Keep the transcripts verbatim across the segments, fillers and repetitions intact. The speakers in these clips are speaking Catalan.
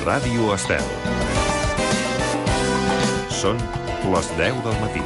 Ràdio Estel. Són les deu del matí.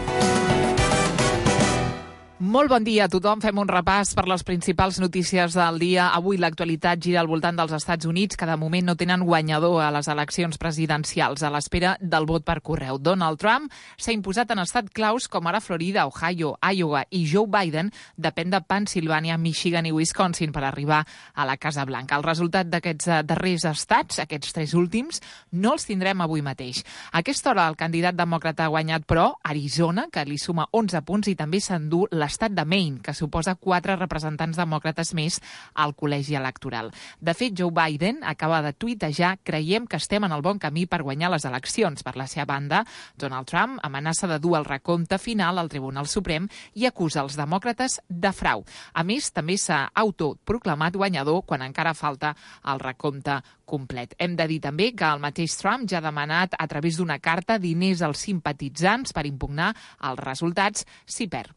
Molt bon dia a tothom. Fem un repàs per les principals notícies del dia. Avui l'actualitat gira al voltant dels Estats Units, que de moment no tenen guanyador a les eleccions presidencials a l'espera del vot per correu. Donald Trump s'ha imposat en estat claus com ara Florida, Ohio, Iowa i Joe Biden depèn de Pennsilvània, Michigan i Wisconsin per arribar a la Casa Blanca. El resultat d'aquests darrers estats, aquests tres últims, no els tindrem avui mateix. A aquesta hora el candidat demòcrata ha guanyat, però, Arizona, que li suma onze punts, i també s'endú l'estat de Maine, que suposa quatre representants demòcrates més al col·legi electoral. De fet, Joe Biden acaba de tuitejar: creiem que estem en el bon camí per guanyar les eleccions. Per la seva banda, Donald Trump amenaça de dur el recompte final al Tribunal Suprem i acusa els demòcrates de frau. A més, també s'ha autoproclamat guanyador quan encara falta el recompte complet. Hem de dir també que el mateix Trump ja ha demanat a través d'una carta diners als simpatitzants per impugnar els resultats si perd.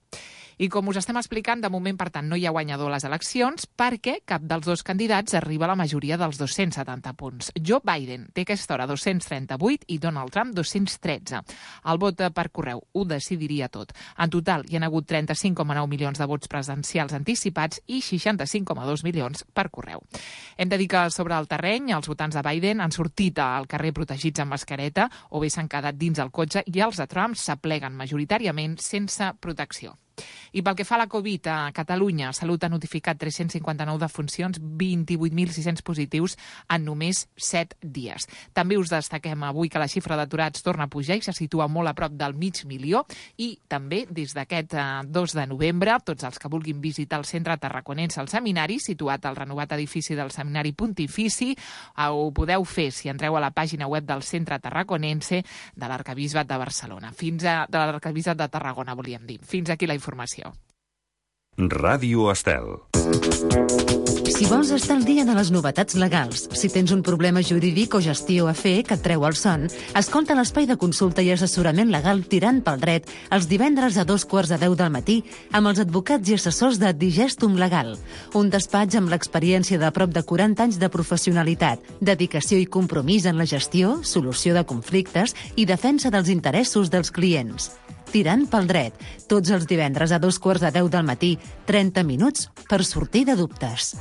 I com us estem explicant, de moment, per tant, no hi ha guanyador a les eleccions perquè cap dels dos candidats arriba a la majoria dels dos-cents setanta punts. Joe Biden té aquesta hora dos-cents trenta-vuit i Donald Trump dos-cents tretze. El vot per correu ho decidiria tot. En total, hi ha hagut trenta-cinc coma nou milions de vots presencials anticipats i seixanta-cinc coma dos milions per correu. Hem de dir que sobre el terreny, els votants de Biden han sortit al carrer protegits amb mascareta o bé s'han quedat dins el cotxe i els de Trump s'apleguen majoritàriament sense protecció. I pel que fa a la Covid, a Catalunya, Salut ha notificat tres-cents cinquanta-nou defuncions, vint-i-vuit mil sis-cents positius en només set dies. També us destaquem avui que la xifra d'aturats torna a pujar i se situa molt a prop del mig milió, i també des d'aquest dos de novembre, tots els que vulguin visitar el centre tarraconense al Seminari, situat al renovat edifici del Seminari Pontifici, ho podeu fer si entreu a la pàgina web del centre tarraconense de l'Arquebisbat de Barcelona. Fins a, de l'Arquebisbat de Tarragona, volíem dir. Fins aquí la informació. Ràdio Estel. Si vols estar al dia de les novetats legals, si tens un problema jurídic o gestió a fer que et treu el son, escolta l'espai de consulta i assessorament legal Tirant pel Dret els divendres a dos quarts de deu del matí amb els advocats i assessors de Digestum Legal, un despatx amb l'experiència de prop de quaranta anys de professionalitat, dedicació i compromís en la gestió, solució de conflictes i defensa dels interessos dels clients. Tirant pel Dret, tots els divendres a dos quarts de deu del matí, trenta minuts per sortir de dubtes.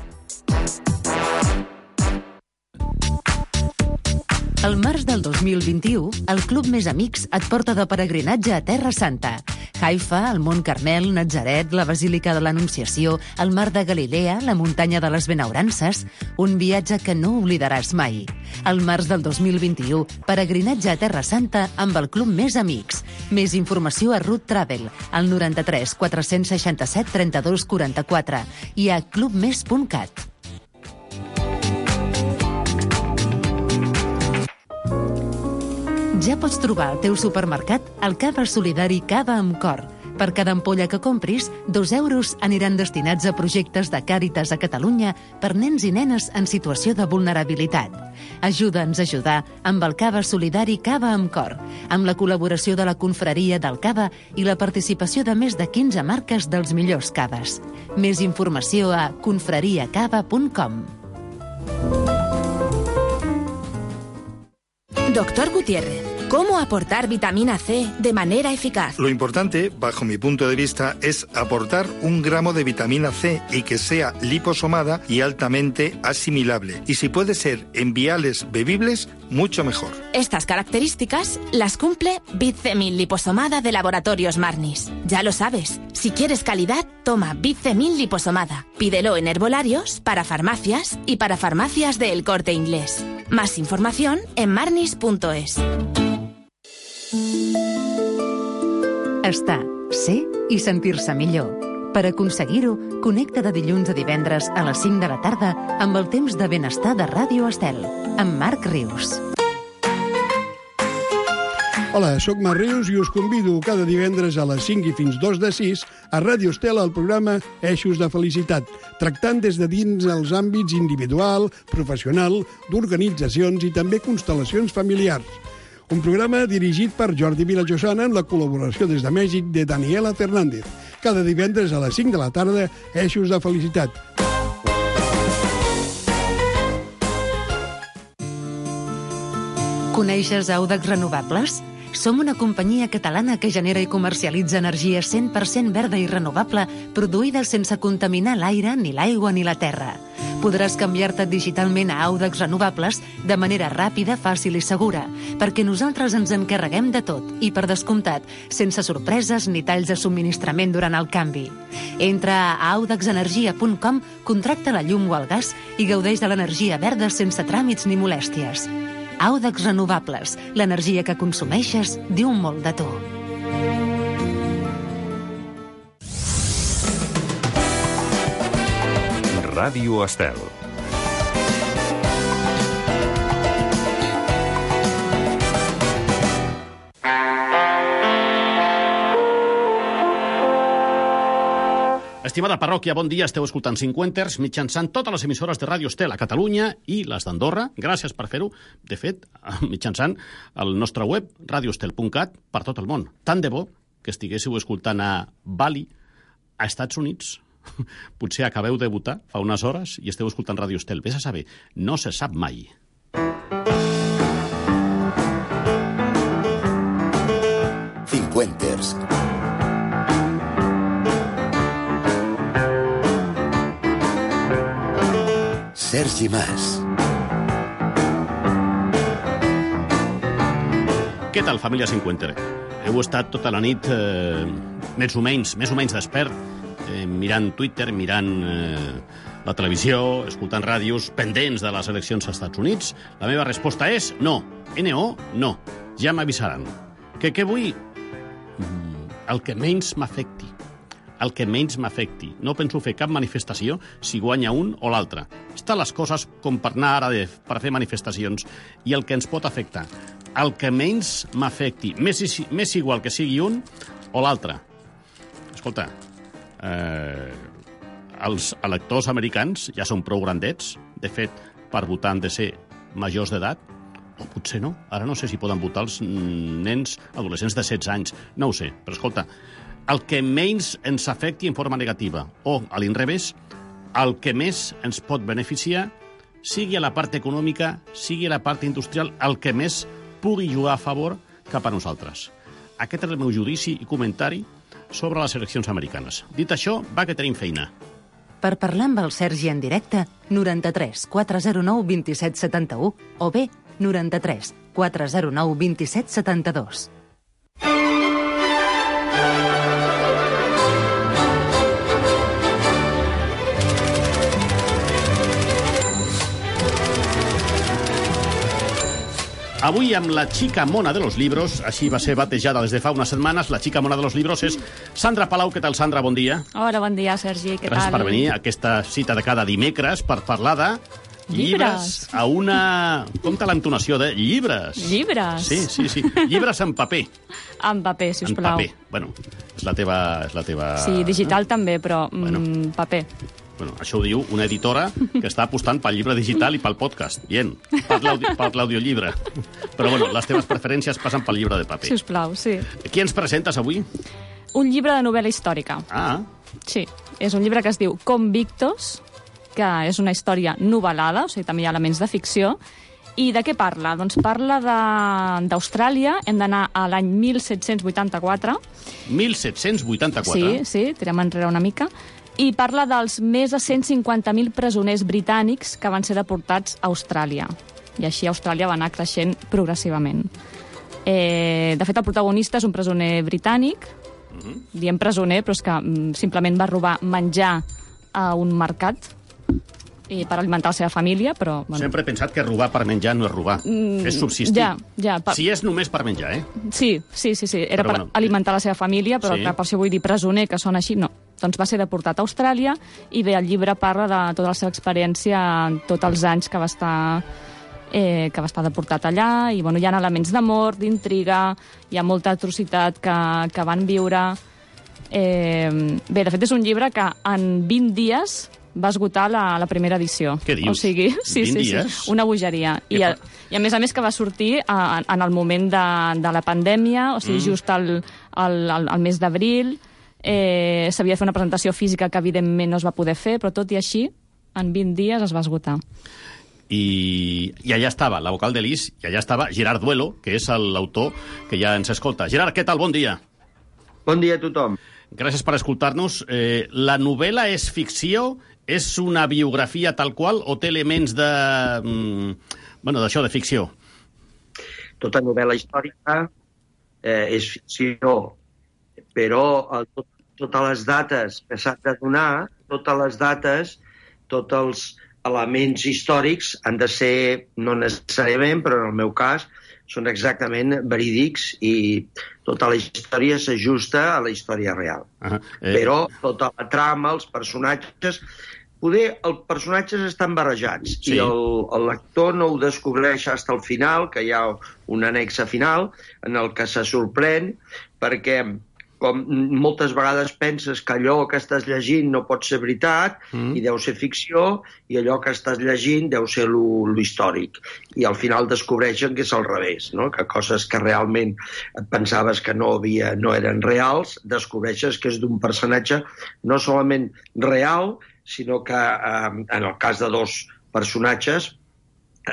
Al març del dos mil vint-i-u, el Club Més Amics et porta de peregrinatge a Terra Santa. Haifa, el Mont Carmel, Natzaret, la Basílica de l'Anunciació, el Mar de Galilea, la Muntanya de les Benaurances, un viatge que no oblidaràs mai. Al març del dos mil vint-i-u, peregrinatge a Terra Santa amb el Club Més Amics. Més informació a Root Travel, al noranta-tres quatre-cents seixanta-set trenta-dos quaranta-quatre i a clubmes punt cat. Ja pots trobar al teu supermercat el Cava Solidari Cava amb Cor. Per cada ampolla que compris, dos euros aniran destinats a projectes de Càritas a Catalunya per nens i nenes en situació de vulnerabilitat. Ajuda'ns a ajudar amb el Cava Solidari Cava amb Cor, amb la col·laboració de la Confraria del Cava i la participació de més de quinze marques dels millors caves. Més informació a confraria cava punt com. Doctor Gutiérrez, ¿cómo aportar vitamina C de manera eficaz? Lo importante, bajo mi punto de vista, es aportar un gramo de vitamina C y que sea liposomada y altamente asimilable. Y si puede ser en viales bebibles, mucho mejor. Estas características las cumple Bitcemil liposomada de Laboratorios Marnis. Ya lo sabes, si quieres calidad, toma Bitcemil liposomada. Pídelo en herbolarios, para farmacias y para farmacias de El Corte Inglés. Más información en marnis punto es. Estar, ser i sentir-se millor. Per aconseguir-ho, connecta de dilluns a divendres a les cinc de la tarda amb el temps de benestar de Ràdio Estel, amb Marc Rius. Hola, sóc Marc Rius i us convido cada divendres a les cinc i fins dos de sis a Ràdio Estel al programa Eixos de Felicitat, tractant des de dins els àmbits individual, professional, d'organitzacions i també constel·lacions familiars. Un programa dirigit per Jordi Vilajosana amb la col·laboració des de Mèxic de Daniela Fernández. Cada divendres a les cinc de la tarda, Eixos de Felicitat. Coneixes Audax Renovables? Som una companyia catalana que genera i comercialitza energia cent per cent verda i renovable, produïda sense contaminar l'aire, ni l'aigua ni la terra. Podràs canviar-te digitalment a Audax Renovables de manera ràpida, fàcil i segura, perquè nosaltres ens encarreguem de tot i, per descomptat, sense sorpreses ni talls de subministrament durant el canvi. Entra a audax energia punt com, contracta la llum o el gas i gaudeix de l'energia verda sense tràmits ni molèsties. Audax Renovables, l'energia que consumeixes diu molt de tu. Ràdio Estel. Estimada parròquia, bon dia. Esteu escoltant Cinquanters mitjançant totes les emissores de Ràdio Estel a Catalunya i les d'Andorra. Gràcies per fer-ho. De fet, mitjançant el nostre web, radio estel punt cat, per tot el món. Tant de bo que estiguéssiu escoltant a Bali, a Estats Units. Potser acabeu de votar fa unes hores i esteu escoltant Ràdio Estel. Ves a saber, no se sap mai. Cinquanters. Sergi Mas. Què tal, família Cinquenter? Heu estat tota la nit eh, més o menys, més o menys despert, eh, mirant Twitter, mirant eh, la televisió, escoltant ràdios, pendents de les eleccions als Estats Units? La meva resposta és no. N O, no. Ja m'avisaran. Que què vull? Mm, el que menys m'afecti. El que menys m'afecti. No penso fer cap manifestació si guanya un o l'altre. Estan les coses com per anar ara de, per fer manifestacions i el que ens pot afectar. El que menys m'afecti. Més, més igual que sigui un o l'altre. Escolta, eh, els electors americans ja són prou grandets. De fet, per votar han de ser majors d'edat. O potser no. Ara no sé si poden votar els nens adolescents de setze anys. No ho sé, però escolta, el que menys ens afecti en forma negativa, o, a l'inrevés, el que més ens pot beneficiar, sigui a la part econòmica, sigui a la part industrial, el que més pugui jugar a favor cap a nosaltres. Aquest és el meu judici i comentari sobre les eleccions americanes. Dit això, va que tenim feina. Per parlar amb el Sergi en directe, noranta-tres quatre zero nou vint set setanta-u o bé noranta-tres quatre zero nou vint set setanta-dos. Avui amb la xica mona de los libros, així va ser batejada des de fa unes setmanes, la xica mona de los libros és Sandra Palau. Què tal, Sandra? Bon dia. Hola, bon dia, Sergi. Què Gràcies tal? per venir a aquesta cita de cada dimecres per parlar de llibres a una... Compte l'entonació de llibres. Llibres? Sí, sí, sí. Llibres en paper. En paper, si us en plau. paper. Bueno, és la teva... És la teva... Sí, digital també, però Bueno. mm, paper. Bueno, això ho diu una editora que està apostant pel llibre digital i pel podcast. Bien, per l'audi- per l'audiollibre. Però, bueno, les teves preferències passen pel llibre de paper. Si us plau, sí. Qui ens presentes avui? Un llibre de novel·la històrica. Ah, Sí, és un llibre que es diu Convictos, que és una història novel·lada, o sigui, també hi ha elements de ficció. I de què parla? Doncs parla de- d'Austràlia, hem d'anar a l'any mil set-cents vuitanta-quatre. mil set-cents vuitanta-quatre. Sí, sí, tirem enrere una mica. I parla dels més de cent cinquanta mil presoners britànics que van ser deportats a Austràlia. I així Austràlia va anar creixent progressivament. Eh, de fet, el protagonista és un presoner britànic. Mm-hmm. Diem presoner, però és que mm, simplement va robar menjar a un mercat i per alimentar la seva família, però... Bueno. Sempre he pensat que robar per menjar no és robar, Mm, és subsistir. ja, ja, per- Si és només per menjar, eh? Sí, sí, sí, sí. Era Però per bueno, alimentar la seva família, però sí. que per això vull dir presoner, que són així, no. Doncs va ser deportat a Austràlia i bé, el llibre parla de tota la seva experiència en tots els anys que va estar eh, que va estar deportat allà, i bueno, hi ha elements d'amor, d'intriga, hi ha molta atrocitat que, que van viure. Eh, bé, de fet, és un llibre que en vint dies va esgotar la, la primera edició. Què dius? O sigui, sí, vint sí, dies? sí, una bogeria. I a, I a més a més que va sortir a, en el moment de, de la pandèmia, o sigui, mm. just al, al, al, al mes d'abril. Eh, s'havia de fer una presentació física que evidentment no es va poder fer, però tot i així, en vint dies es va esgotar. i, i allà estava la vocal de Lis, i allà estava Gerard Duelo, que és l'autor que ja ens escolta. Gerard, què tal? Bon dia. Bon dia a tothom. Gràcies per escoltar-nos. Eh, la novel·la és ficció? És una biografia tal qual o té elements de... Mm, bueno, d'això, de ficció? Tota novel·la històrica eh, és ficció, però el, tot, totes les dates que s'han de donar, totes les dates, tots els elements històrics han de ser, no necessàriament, però en el meu cas, són exactament verídics i tota la història s'ajusta a la història real. Uh -huh. eh... Però tota la trama, els personatges... Poder, els personatges estan barrejats sí. i el, el lector no ho descobreix fins al final, que hi ha un annexe final en el que se sorprèn perquè com moltes vegades penses que allò que estàs llegint no pot ser veritat mm. i deu ser ficció, i allò que estàs llegint deu ser lo, lo històric. I al final descobreixen que és al revés, no? Que coses que realment pensaves que no, havia, no eren reals, descobreixes que és d'un personatge no solament real, sinó que eh, en el cas de dos personatges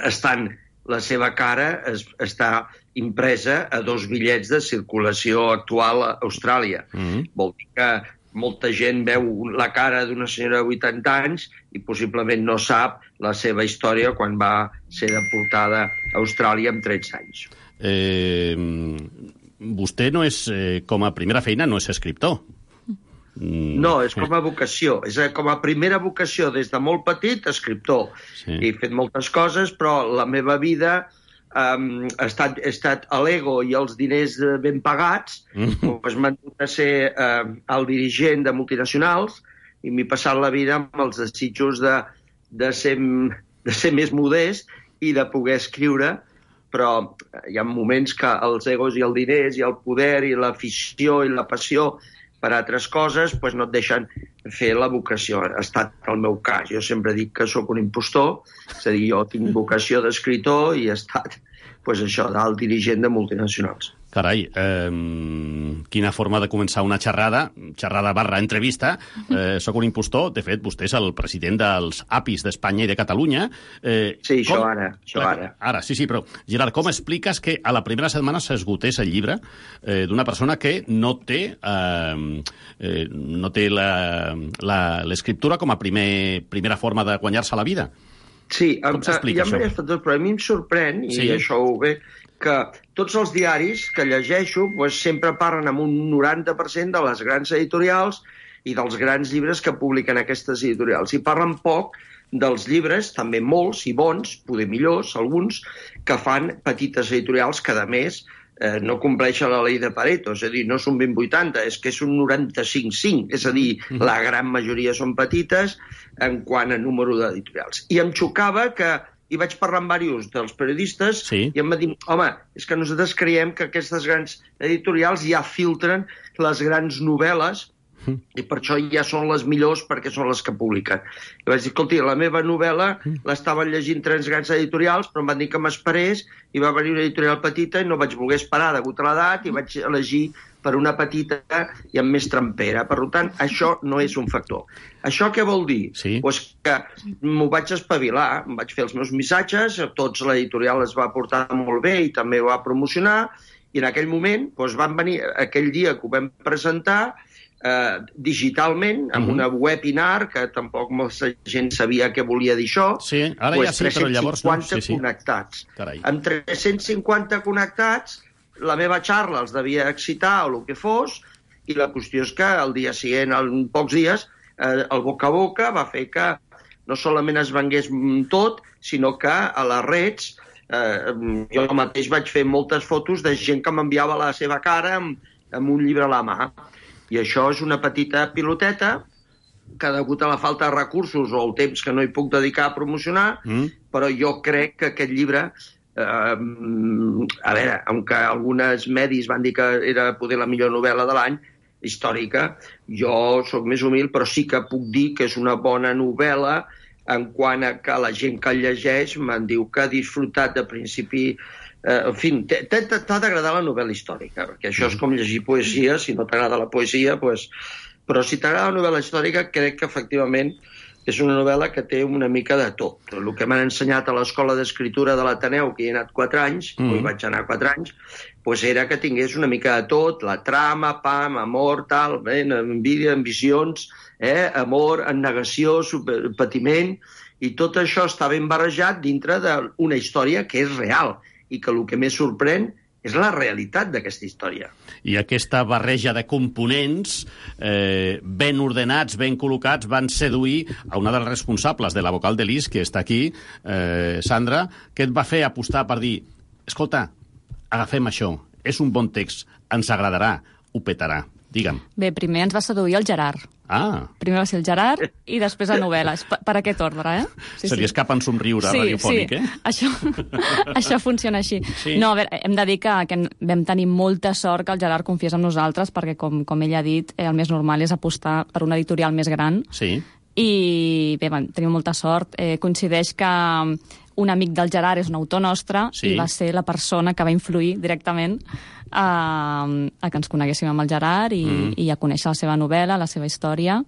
estan, la seva cara es, està impresa a dos bitllets de circulació actual a Austràlia. Mm-hmm. Vol dir que molta gent veu la cara d'una senyora de vuitanta anys i possiblement no sap la seva història quan va ser deportada a Austràlia amb tretze anys. Eh, vostè no és, eh, com a primera feina, no és escriptor. No, és com a vocació. És com a primera vocació, des de molt petit, escriptor. Sí. He fet moltes coses, però la meva vida um, ha, estat, ha estat a l'ego i els diners ben pagats. Mm. Pues m'han dut a ser uh, el dirigent de multinacionals i m'he passat la vida amb els desitjos de, de, ser, de ser més modest i de poder escriure, però hi ha moments que els egos i els diners i el poder i l'afició i la passió per altres coses, doncs no et deixen fer la vocació. Ha estat el meu cas. Jo sempre dic que sóc un impostor, és a dir, jo tinc vocació d'escriptor i he estat, doncs això, d'alt dirigent de multinacionals. Carai, eh, quina forma de començar una xerrada, xerrada barra entrevista. Eh, soc un impostor. De fet, vostè és el president dels A P Is d'Espanya i de Catalunya. Eh, sí, com... això ara. Això ara. Ara, sí, sí, però, Gerard, com expliques que a la primera setmana s'esgotés el llibre eh, d'una persona que no té, eh, eh, no té l'escriptura com a primer, primera forma de guanyar-se la vida? Sí, com s'explica això? Hi ha diversos factors, però a mi em sorprèn, i sí. això ho ve, que tots els diaris que llegeixo doncs, sempre parlen amb un noranta per cent de les grans editorials i dels grans llibres que publiquen aquestes editorials. I parlen poc dels llibres, també molts i bons, poder millors, alguns, que fan petites editorials que, a més, eh, no compleixen la llei de Pareto, és a dir, no són vint vuitanta, és que és un noranta-cinc cinc, és a dir, mm-hmm. la gran majoria són petites en quant a número d'editorials. I em xocava que i vaig parlar amb diversos dels periodistes sí. i em va dir, home, és que nosaltres creiem que aquestes grans editorials ja filtren les grans novel·les mm. i per això ja són les millors perquè són les que publiquen. I vaig dir, escolti, la meva novel·la mm. l'estaven llegint tres grans editorials, però em van dir que m'esperés i va venir una editorial petita i no vaig voler esperar degut a l'edat i vaig elegir per una petita i amb més trempera. Per tant, això no és un factor. Això què vol dir? Sí. Pues que m'ho vaig espavilar, em vaig fer els meus missatges, tots l'editorial es va portar molt bé i també ho va promocionar, i en aquell moment doncs, van venir, aquell dia que ho vam presentar, eh, digitalment, amb uh-huh. una webinar, que tampoc molta gent sabia què volia dir això, sí, ara pues, ja sí, però llavors no. Sí, sí. connectats. Carai. Amb tres-cents cinquanta connectats, la meva xarra els devia excitar o el que fos, i la qüestió és que el dia següent, en pocs dies, eh, el boca a boca va fer que no solament es vengués tot, sinó que a les reds eh, jo mateix vaig fer moltes fotos de gent que m'enviava la seva cara amb, amb un llibre a la mà. I això és una petita piloteta que, degut a la falta de recursos o el temps que no hi puc dedicar a promocionar, mm. però jo crec que aquest llibre... Uh, a veure, aunque alguns medis van dir que era poder la millor novel·la de l'any històrica, jo sóc més humil, però sí que puc dir que és una bona novel·la en quant a que la gent que el llegeix me'n diu que ha disfrutat de principi uh, en fi, t'ha d'agradar la novel·la històrica, perquè això és com llegir poesia, si no t'agrada la poesia, pues... però si t'agrada la novel·la històrica crec que efectivament és una novel·la que té una mica de tot. El que m'han ensenyat a l'escola d'escriptura de l'Ateneu, que hi he anat quatre anys, mm. o hi vaig anar quatre anys, doncs era que tingués una mica de tot, la trama, pam, amor, tal, bé, envidia, ambicions, eh, amor, negació, super, patiment, i tot això està ben barrejat dintre d'una història que és real, i que el que més sorprèn és la realitat d'aquesta història. I aquesta barreja de components eh, ben ordenats, ben col·locats, van seduir a una dels responsables de la vocal de l'I S, que està aquí, eh, Sandra, que et va fer apostar per dir, escolta, agafem això, és un bon text, ens agradarà, ho petarà. Digue'm. Bé, primer ens va seduir el Gerard. Ah. Primer va ser el Gerard i després la novel·la. Per, per aquest ordre, eh? Sí, Se li sí. escapa en somriure sí, radiofònic, sí. eh? Això, això funciona així. Sí. No, a veure, hem de dir que, que vam tenir molta sort que el Gerard confiés en nosaltres perquè, com, com ell ha dit, eh, el més normal és apostar per una editorial més gran. Sí. I bé, vam tenir molta sort. Eh, coincideix que un amic del Gerard és un autor nostre sí. i va ser la persona que va influir directament a, a que ens coneguéssim amb el Gerard i, mm. i a conèixer la seva novel·la, la seva història,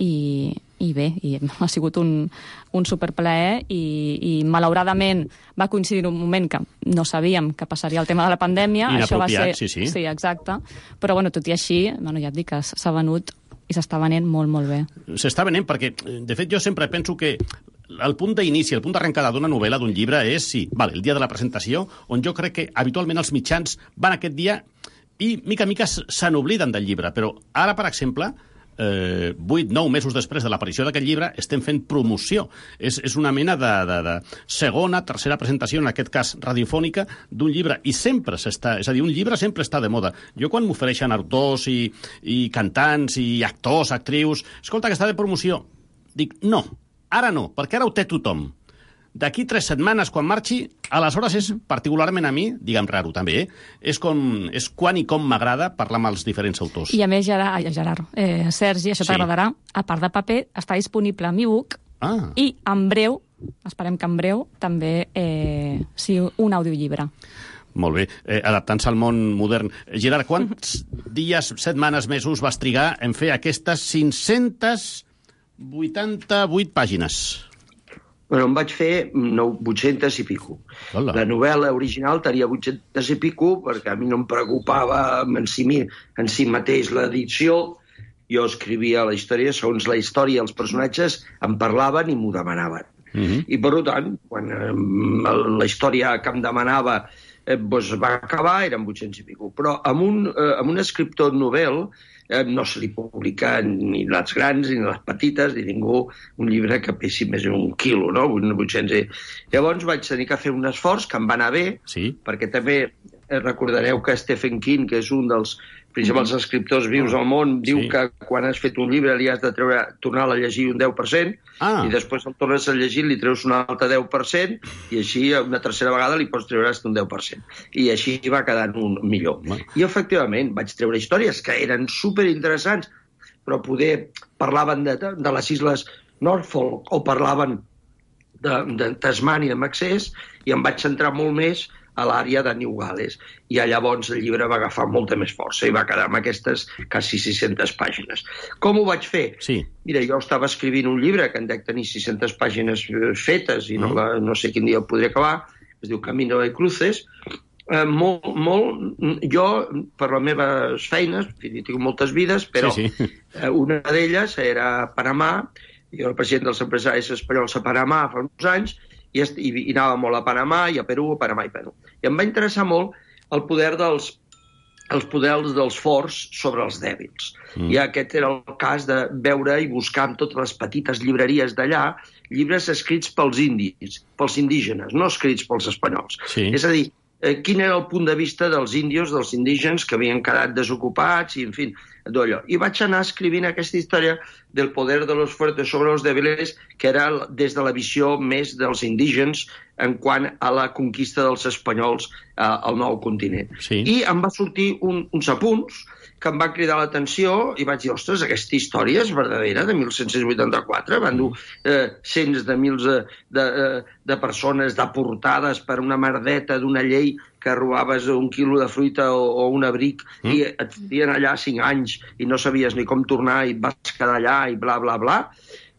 i, i bé, i ha sigut un, un superplaer i, i malauradament va coincidir un moment que no sabíem que passaria el tema de la pandèmia. Això va ser, sí, sí. Sí, exacte. Però bueno, tot i així, bueno, ja et dic que s'ha venut i s'està venent molt, molt bé. S'està venent perquè, de fet, jo sempre penso que el punt d'inici, el punt d'arrencada d'una novel·la, d'un llibre, és, sí, vale, el dia de la presentació, on jo crec que habitualment els mitjans van aquest dia i, mica a mica, se n'obliden del llibre. Però ara, per exemple, eh, vuit, nou mesos després de l'aparició d'aquest llibre, estem fent promoció. És, és una mena de, de, de segona, tercera presentació, en aquest cas radiofònica, d'un llibre. I sempre s'està... És a dir, un llibre sempre està de moda. Jo, quan m'ofereixen autors i, i cantants i actors, actrius... Escolta, que està de promoció. Dic, no. Ara no, perquè ara ho té tothom. D'aquí tres setmanes, quan marxi, aleshores és, particularment a mi, diguem raro també, eh? és, com, és quan i com m'agrada parlar amb els diferents autors. I a més, Gerard, ai, Gerard eh, Sergi, això t'agradarà, sí. A part de paper, està disponible en e-book ah. i en breu, esperem que en breu, també eh, sigui un audiollibre. Molt bé, eh, adaptant-se al món modern. Gerard, quants dies, setmanes, mesos vas trigar en fer aquestes cinc-centes vuitanta-vuit pàgines? Bueno, em vaig fer no, vuit-centes i pico. Hola. La novel·la original tenia vuit-centes i pico perquè a mi no em preocupava en si, en si mateix l'edició. Jo escrivia la història segons la història, els personatges em parlaven i m'ho demanaven. Mm-hmm. I per tant, quan eh, la història que em demanava eh, doncs va acabar, eren vuit-cents i pico. Però amb un, eh, amb un escriptor novel eh, no se li publica ni les grans ni les petites ni ningú un llibre que pesi més d'un quilo, no? vuit-cents. Llavors vaig tenir que fer un esforç que em va anar bé, sí. Perquè també recordareu que Stephen King, que és un dels principals escriptors vius al món, diu sí. que quan has fet un llibre li has de treure, tornar a llegir un deu per cent ah. i després el tornes a llegir, li treus un altre deu per cent i així una tercera vegada li pots treure un deu per cent. I així va quedant un millor. Bueno. I efectivament vaig treure històries que eren superinteressants, però poder parlaven de, de les Isles Norfolk o parlaven de, de Tasmània amb accés i em vaig centrar molt més a l'àrea de New Gales. I llavors el llibre va agafar molta més força i va quedar amb aquestes quasi sis-centes pàgines. Com ho vaig fer? Sí. Mira, jo estava escrivint un llibre que en dec tenir sis-centes pàgines fetes i no, la, no sé quin dia el podré acabar, es diu Camino de Cruces. Eh, molt, molt, jo, per les meves feines, en fi, tinc moltes vides, però sí, sí. Eh, una d'elles era a Panamà, jo era el president dels empresaris espanyols a Panamà fa uns anys, i, i, i anava molt a Panamà i a Perú, a Panamà i Perú. I em va interessar molt el poder dels, els poders dels forts sobre els dèbils. Mm. I aquest era el cas de veure i buscar en totes les petites llibreries d'allà llibres escrits pels indis, pels indígenes, no escrits pels espanyols. Sí. És a dir, eh, quin era el punt de vista dels índios, dels indígens que havien quedat desocupats i, en fi, d'allò. I vaig anar escrivint aquesta història del poder de los fuertes sobre los débiles, que era des de la visió més dels indígens en quant a la conquista dels espanyols eh, al nou continent. Sí. I em va sortir un, uns apunts que em va cridar l'atenció i vaig dir, ostres, aquesta història és verdadera, de mil set-cents vuitanta-quatre, van dur eh, cents de mils de, de, de persones deportades per una merdeta d'una llei que robaves un quilo de fruita o, o un abric mm. i et fotien allà cinc anys i no sabies ni com tornar i et vas quedar allà i bla, bla, bla.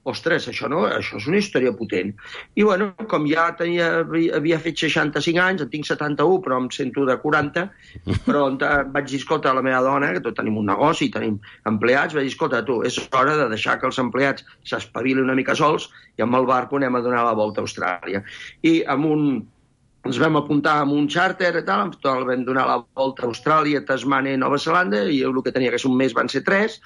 ostres, això, no, això és una història potent. I, bueno, com ja tenia, havia fet seixanta-cinc anys, en tinc setanta-u, però em sento de quaranta, però vaig dir, escolta, a la meva dona, que tot tenim un negoci, tenim empleats, vaig dir, escolta, tu, és hora de deixar que els empleats s'espavilin una mica sols i amb el barco anem a donar la volta a Austràlia. I amb un... ens vam apuntar amb un xàrter i tal, el vam donar la volta a Austràlia, Tasmània i Nova Zelanda, i el que tenia que ser un mes van ser tres,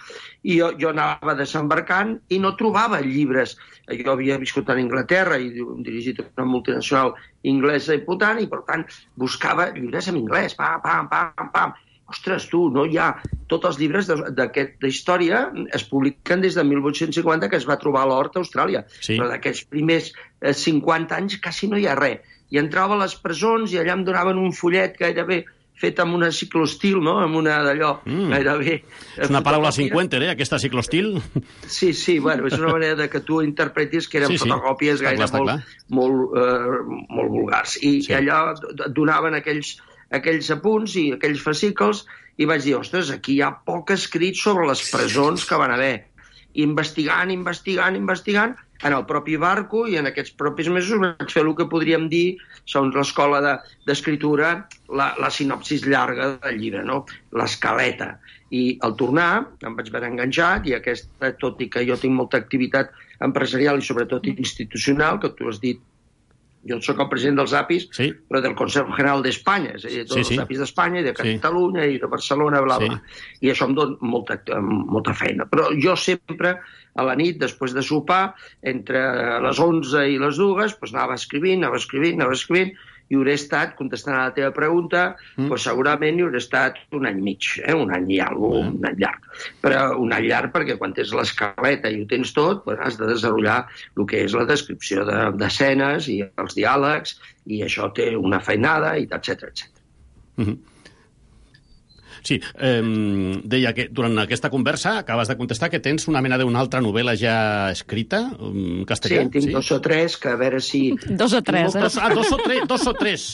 i jo, jo anava desembarcant i no trobava llibres. Jo havia viscut a Anglaterra i dirigit una multinacional inglesa important, i per tant buscava llibres en anglès, pam, pam, pam, pam. Ostres, tu, no hi ha... Tots els llibres d'aquesta història es publiquen des de mil vuit-cents cinquanta, que es va trobar l'hort a Austràlia. Sí. Però d'aquests primers cinquanta anys quasi no hi ha res. I entrava a les presons i allà em donaven un fullet gairebé fet amb una ciclostil, no? Amb una d'allò mm. gairebé... És una paraula cinquanta, eh, aquesta ciclostil? Sí, sí, bueno, és una manera de que tu interpretis que eren sí, sí. fotocòpies gaire clar, molt, molt, uh, molt vulgars. I sí. allà donaven aquells, aquells apunts i aquells fascicles i vaig dir, ostres, aquí hi ha poc escrit sobre les presons que van haver. I investigant, investigant, investigant, en el propi barco i en aquests propis mesos vaig fer el que podríem dir, segons l'escola d'escriptura, de, la, la sinopsis llarga del llibre, no? L'escaleta. I al tornar em vaig veure enganxat i aquesta, tot i que jo tinc molta activitat empresarial i sobretot institucional, que tu has dit, jo soc el president dels A P Is, sí. però del Consejo General d'Espanya, és a dir, tots sí, sí. els A P Is d'Espanya, i de Catalunya, sí. i de Barcelona, bla, bla. Sí. I això em dona molta, molta feina. Però jo sempre, a la nit, després de sopar, entre les onze i les dues, doncs anava escrivint, anava escrivint, anava escrivint, i hauré estat, contestant a la teva pregunta, mm. doncs segurament hi hauré estat un any mig, eh? un any i alguna cosa, mm. un any llarg. Però un any llarg perquè quan tens l'escaleta i ho tens tot, doncs has de desenvolupar el que és la descripció d'escenes de, i els diàlegs, i això té una feinada, i etcètera, etcètera. Mm-hmm. Sí, eh, deia que durant aquesta conversa acabes de contestar que tens una mena d'una altra novel·la ja escrita en castellà. Sí, en tinc sí? dos o tres, que a veure si... Dos o tres, eh? Dos, ah, dos o tres, dos o tres.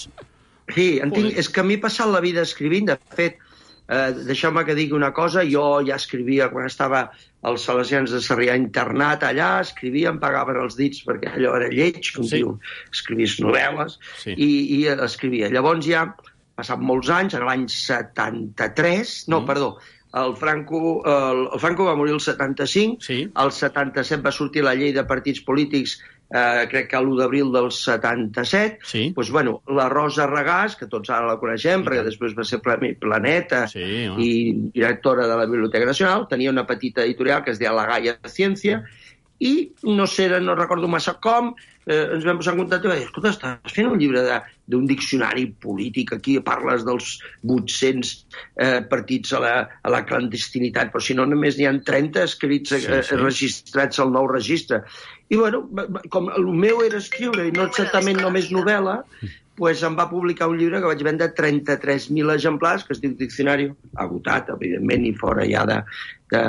Sí, en tinc, és que m'he passat la vida escrivint. De fet, eh, deixeu-me que digui una cosa, jo ja escrivia quan estava als Salesians de Sarrià internat allà, escrivia, em pagaven els dits perquè allò era lleig, com sí. diu, escrivies novel·les, sí. i, i escrivia. Llavors ja... passat molts anys, en l'any setanta-tres, no, mm. perdó, el Franco, el, el Franco va morir el setanta-cinc, sí. el setanta-set va sortir la llei de partits polítics, eh, crec que l'u d'abril del setanta-set, sí. doncs, bueno, la Rosa Regàs, que tots ara la coneixem, sí. perquè després va ser Planeta sí, no? i directora de la Biblioteca Nacional, tenia una petita editorial que es deia La Gaia de Ciència, i no sé, no recordo massa com, eh, ens vam posar en contacte i va dir, escolta, estàs fent un llibre d'un diccionari polític, aquí parles dels vuit-cents eh, partits a la, a la clandestinitat, però si no només n'hi ha trenta escrits sí, sí. Eh, registrats al nou registre. I bueno, com el meu era escriure i no exactament només novel·la, pues em va publicar un llibre que vaig vendre trenta-tres mil exemplars, que es diu Diccionari, agotat, evidentment, i fora ja de, de,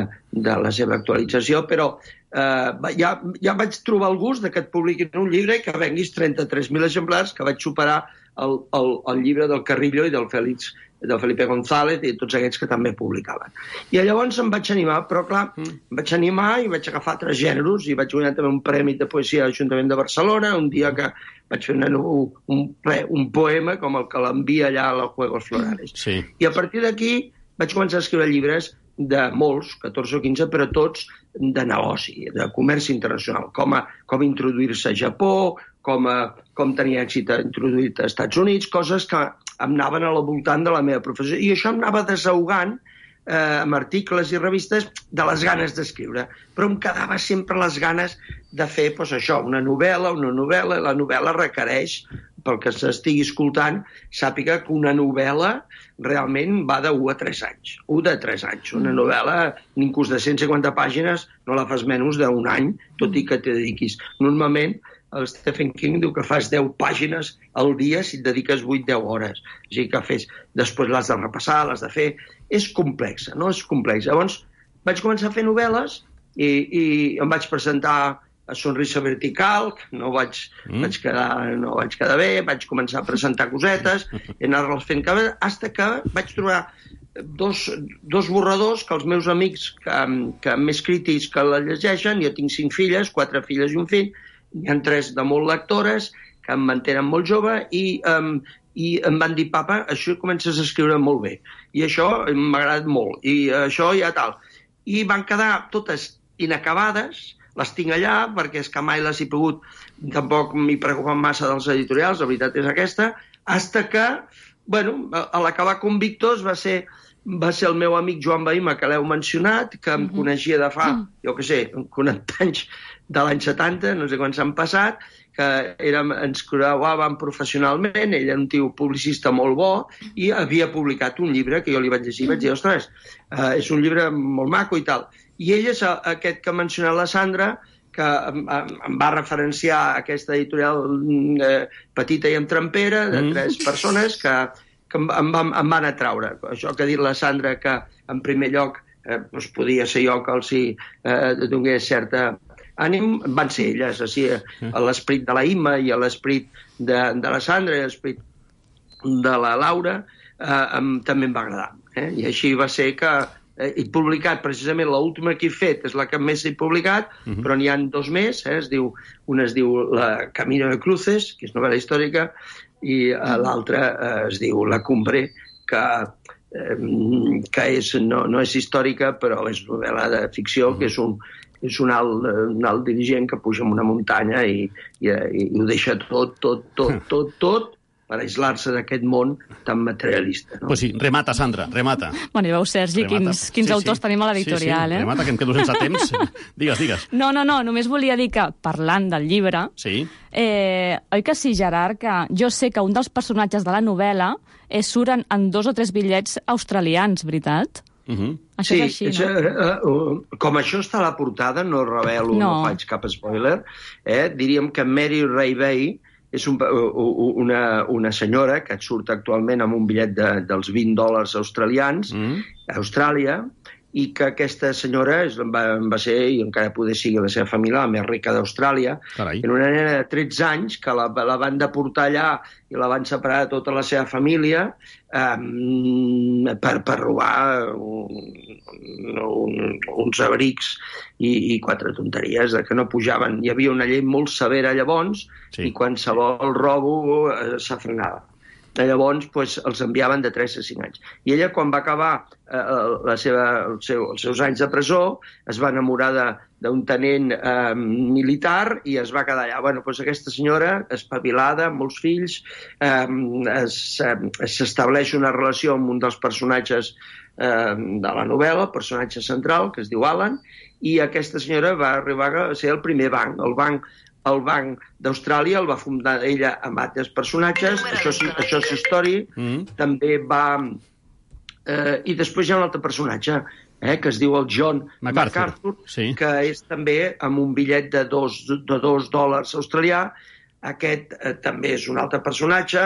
de la seva actualització, però eh, ja, ja vaig trobar el gust de que et publiquin un llibre i que venguis trenta-tres mil exemplars, que vaig superar el, el, el llibre del Carrillo i del Félix, del Felipe González i tots aquests que també publicaven. I llavors em vaig animar, però clar, mm. em vaig animar i vaig agafar altres gèneres i vaig guanyar també un premi de poesia a l'Ajuntament de Barcelona, un dia que vaig fer una, un, un poema com el que l'envia allà a los Juegos Florales. Sí. I a partir d'aquí vaig començar a escriure llibres de molts, catorze o quinze, però tots de negoci, de comerç internacional, com, a, com introduir-se a Japó, com, a, com tenir èxit introduït als Estats Units, coses que em anaven al voltant de la meva professió. I això em anava desahogant eh, amb articles i revistes de les ganes d'escriure. Però em quedava sempre les ganes de fer pues, això, una novel·la, una novel·la. La novel·la requereix, pel que s'estigui escoltant, sàpiga que una novel·la realment va de u a tres anys. u de tres anys. Una novel·la, inclús de cent cinquanta pàgines, no la fas menys d'un any, tot i que t'hi dediquis. Normalment, el Stephen King diu que fas deu pàgines al dia si et dediques vuit a deu hores. O sigui que fes, després l'has de repassar, l'has de fer... És complexa, no? És complexa. Llavors, vaig començar a fer novel·les i, i em vaig presentar a Sonrisa Vertical, no vaig, mm. vaig, quedar, no vaig quedar bé, vaig començar a presentar cosetes i anar-les fent cada... Hasta que vaig trobar dos, dos borradors que els meus amics que, que més crítics que la llegeixen, jo tinc cinc filles, quatre filles i un fill, hi ha tres de molt lectores que em mantenen molt jove i, um, i em van dir, papa, això comences a escriure molt bé i això m'ha agradat molt i això ja tal. I van quedar totes inacabades, les tinc allà perquè és que mai les he pogut, tampoc m'hi preocupen massa dels editorials, la veritat és aquesta, hasta que, bueno, a l'acabar Convictos va ser, va ser el meu amic Joan Bahima, que l'heu mencionat, que em uh-huh. coneixia de fa, uh-huh. jo què sé, quaranta anys de l'any setanta, no sé quan s'han passat, que érem, ens col·laboràvem professionalment, ell era un tio publicista molt bo, i havia publicat un llibre que jo li vaig llegir, i vaig dir, ostres, uh, és un llibre molt maco i tal. I ell és aquest que ha mencionat la Sandra, que em, em va referenciar a aquesta editorial eh, petita i entrampera, de tres mm. persones, que, que em, em, van, em van atraure. Això que ha dit la Sandra, que en primer lloc eh, doncs podia ser jo que els hi eh, donés certa ànim, van ser elles, així, a l'esperit de la Imma i a l'esperit de, de la Sandra i a l'esperit de la Laura, eh, em, també em va agradar. Eh? I així va ser que he publicat, precisament, l'última que he fet és la que més he publicat, uh-huh. però n'hi ha dos més, eh? es diu, una es diu La Camino de Cruces, que és novel·la històrica, i uh, l'altra uh, es diu La Cumbre, que, uh, que és, no, no és històrica, però és novel·la de ficció, uh-huh. que és un, és un alt, un alt dirigent que puja en una muntanya i, i, i ho deixa tot, tot, tot, tot, tot, per aislar-se d'aquest món tan materialista. No? Pues sí, remata, Sandra, remata. Bueno, i veu, Sergi, remata. quins, quins sí, autors sí. tenim a l'editorial, sí, sí. eh? Remata, que em quedo sense temps. Digues, digues. No, no, no, només volia dir que, parlant del llibre, sí. eh, oi que sí, Gerard, que jo sé que un dels personatges de la novel·la eh, surt en, en dos o tres bitllets australians, veritat? Uh-huh. Això sí, és així, és, no? uh, uh, com això està a la portada, no revelo, no, no faig cap spoiler, eh? diríem que Mary Ray Bay és un, una, una senyora que et surt actualment amb un bitllet de, dels vint dòlars australians mm. a Austràlia, i que aquesta senyora és, va, va ser, i encara poder sigui la seva família, la més rica d'Austràlia. En una nena de tretze anys que la, la van deportar allà i la van separar de tota la seva família um, per, per robar un, un, uns abrics i, i quatre tonteries de que no pujaven. Hi havia una llei molt severa llavors sí. i qualsevol robo eh, s'afrenava. Llavors pues, els enviaven de tres a cinc anys. I ella, quan va acabar eh, la seva, el seu, els seus anys de presó, es va enamorar d'un tenent eh, militar i es va quedar allà. Bueno, pues, aquesta senyora, espavilada, amb molts fills, eh, s'estableix una relació amb un dels personatges eh, de la novel·la, el personatge central, que es diu Alan, i aquesta senyora va arribar a ser el primer banc, el banc El Banc d'Austràlia el va fundar ella amb altres personatges, això, això és història, mm. també va... Eh, I després hi ha un altre personatge, eh, que es diu el John MacArthur, MacArthur sí. que és també amb un bitllet de dos, de dos dòlars australià. Aquest eh, també és un altre personatge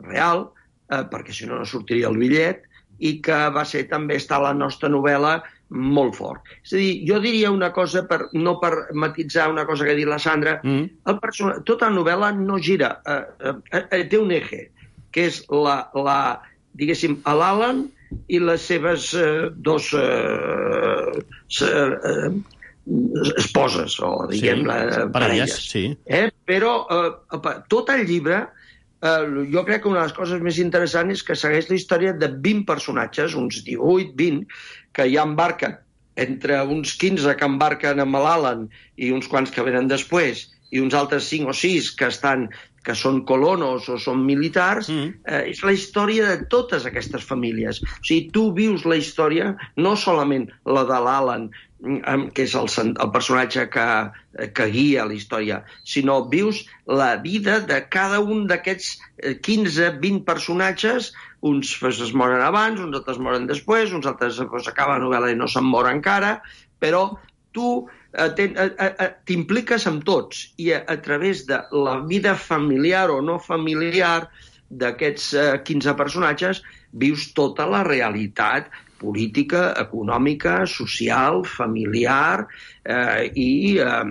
real, eh, perquè si no no sortiria el bitllet, i que va ser també està a la nostra novel·la molt fort. És a dir, jo diria una cosa, per, no per matitzar una cosa que ha dit la Sandra, mm. el person... tota la novel·la no gira, eh, eh, eh, té un eje, que és la, la diguéssim, l'Alan i les seves eh, dos eh, eh, esposes, o diguem, sí, la, parelles. Sí. Eh? Però eh, tot el llibre, eh, jo crec que una de les coses més interessants és que segueix la història de vint personatges, uns divuit, vint, que ja embarquen, entre uns quinze que embarquen amb l'Alan i uns quants que venen després, i uns altres cinc o sis que estan que són colonos o són militars, mm. eh, és la història de totes aquestes famílies. O sigui, tu vius la història, no solament la de l'Alan, que és el, el personatge que, que guia la història, sinó vius la vida de cada un d'aquests quinze vint personatges. Uns es moren abans, uns altres moren després, uns altres pues, acaba la novel·la i no se'n mor encara, però tu t'impliques amb tots i a, a través de la vida familiar o no familiar d'aquests eh, quinze personatges vius tota la realitat política, econòmica, social, familiar eh, i, eh,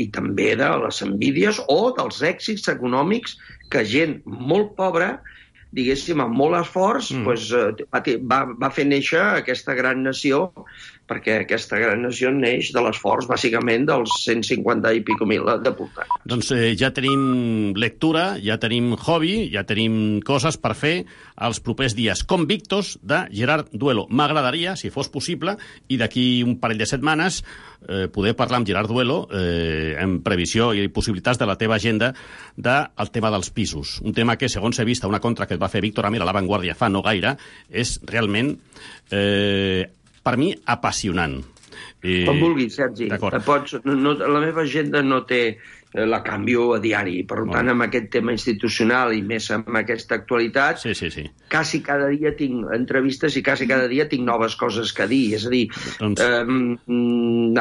i també de les envídies o dels èxits econòmics que gent molt pobra diguéssim, amb molt esforç, mm. doncs, va, va fer néixer aquesta gran nació, perquè aquesta gran nació neix de l'esforç, bàsicament, dels cent cinquanta i pico mil deportats. Doncs eh, ja tenim lectura, ja tenim hobby, ja tenim coses per fer els propers dies. Convictos, de Gerard Duelo. M'agradaria, si fos possible, i d'aquí un parell de setmanes, eh, poder parlar amb Gerard Duelo eh, en previsió i possibilitats de la teva agenda del tema dels pisos. Un tema que, segons he vist a una contra que et va fer Víctor Amer a La Vanguardia fa no gaire, és realment... Eh, per mi, apassionant. Eh, Com vulguis, Sergi. Pots, no, la meva agenda no té... la canvio a diari. Per tant, amb aquest tema institucional i més amb aquesta actualitat, sí, sí, sí. quasi cada dia tinc entrevistes i quasi cada dia tinc noves coses que dir. És a dir, doncs... eh,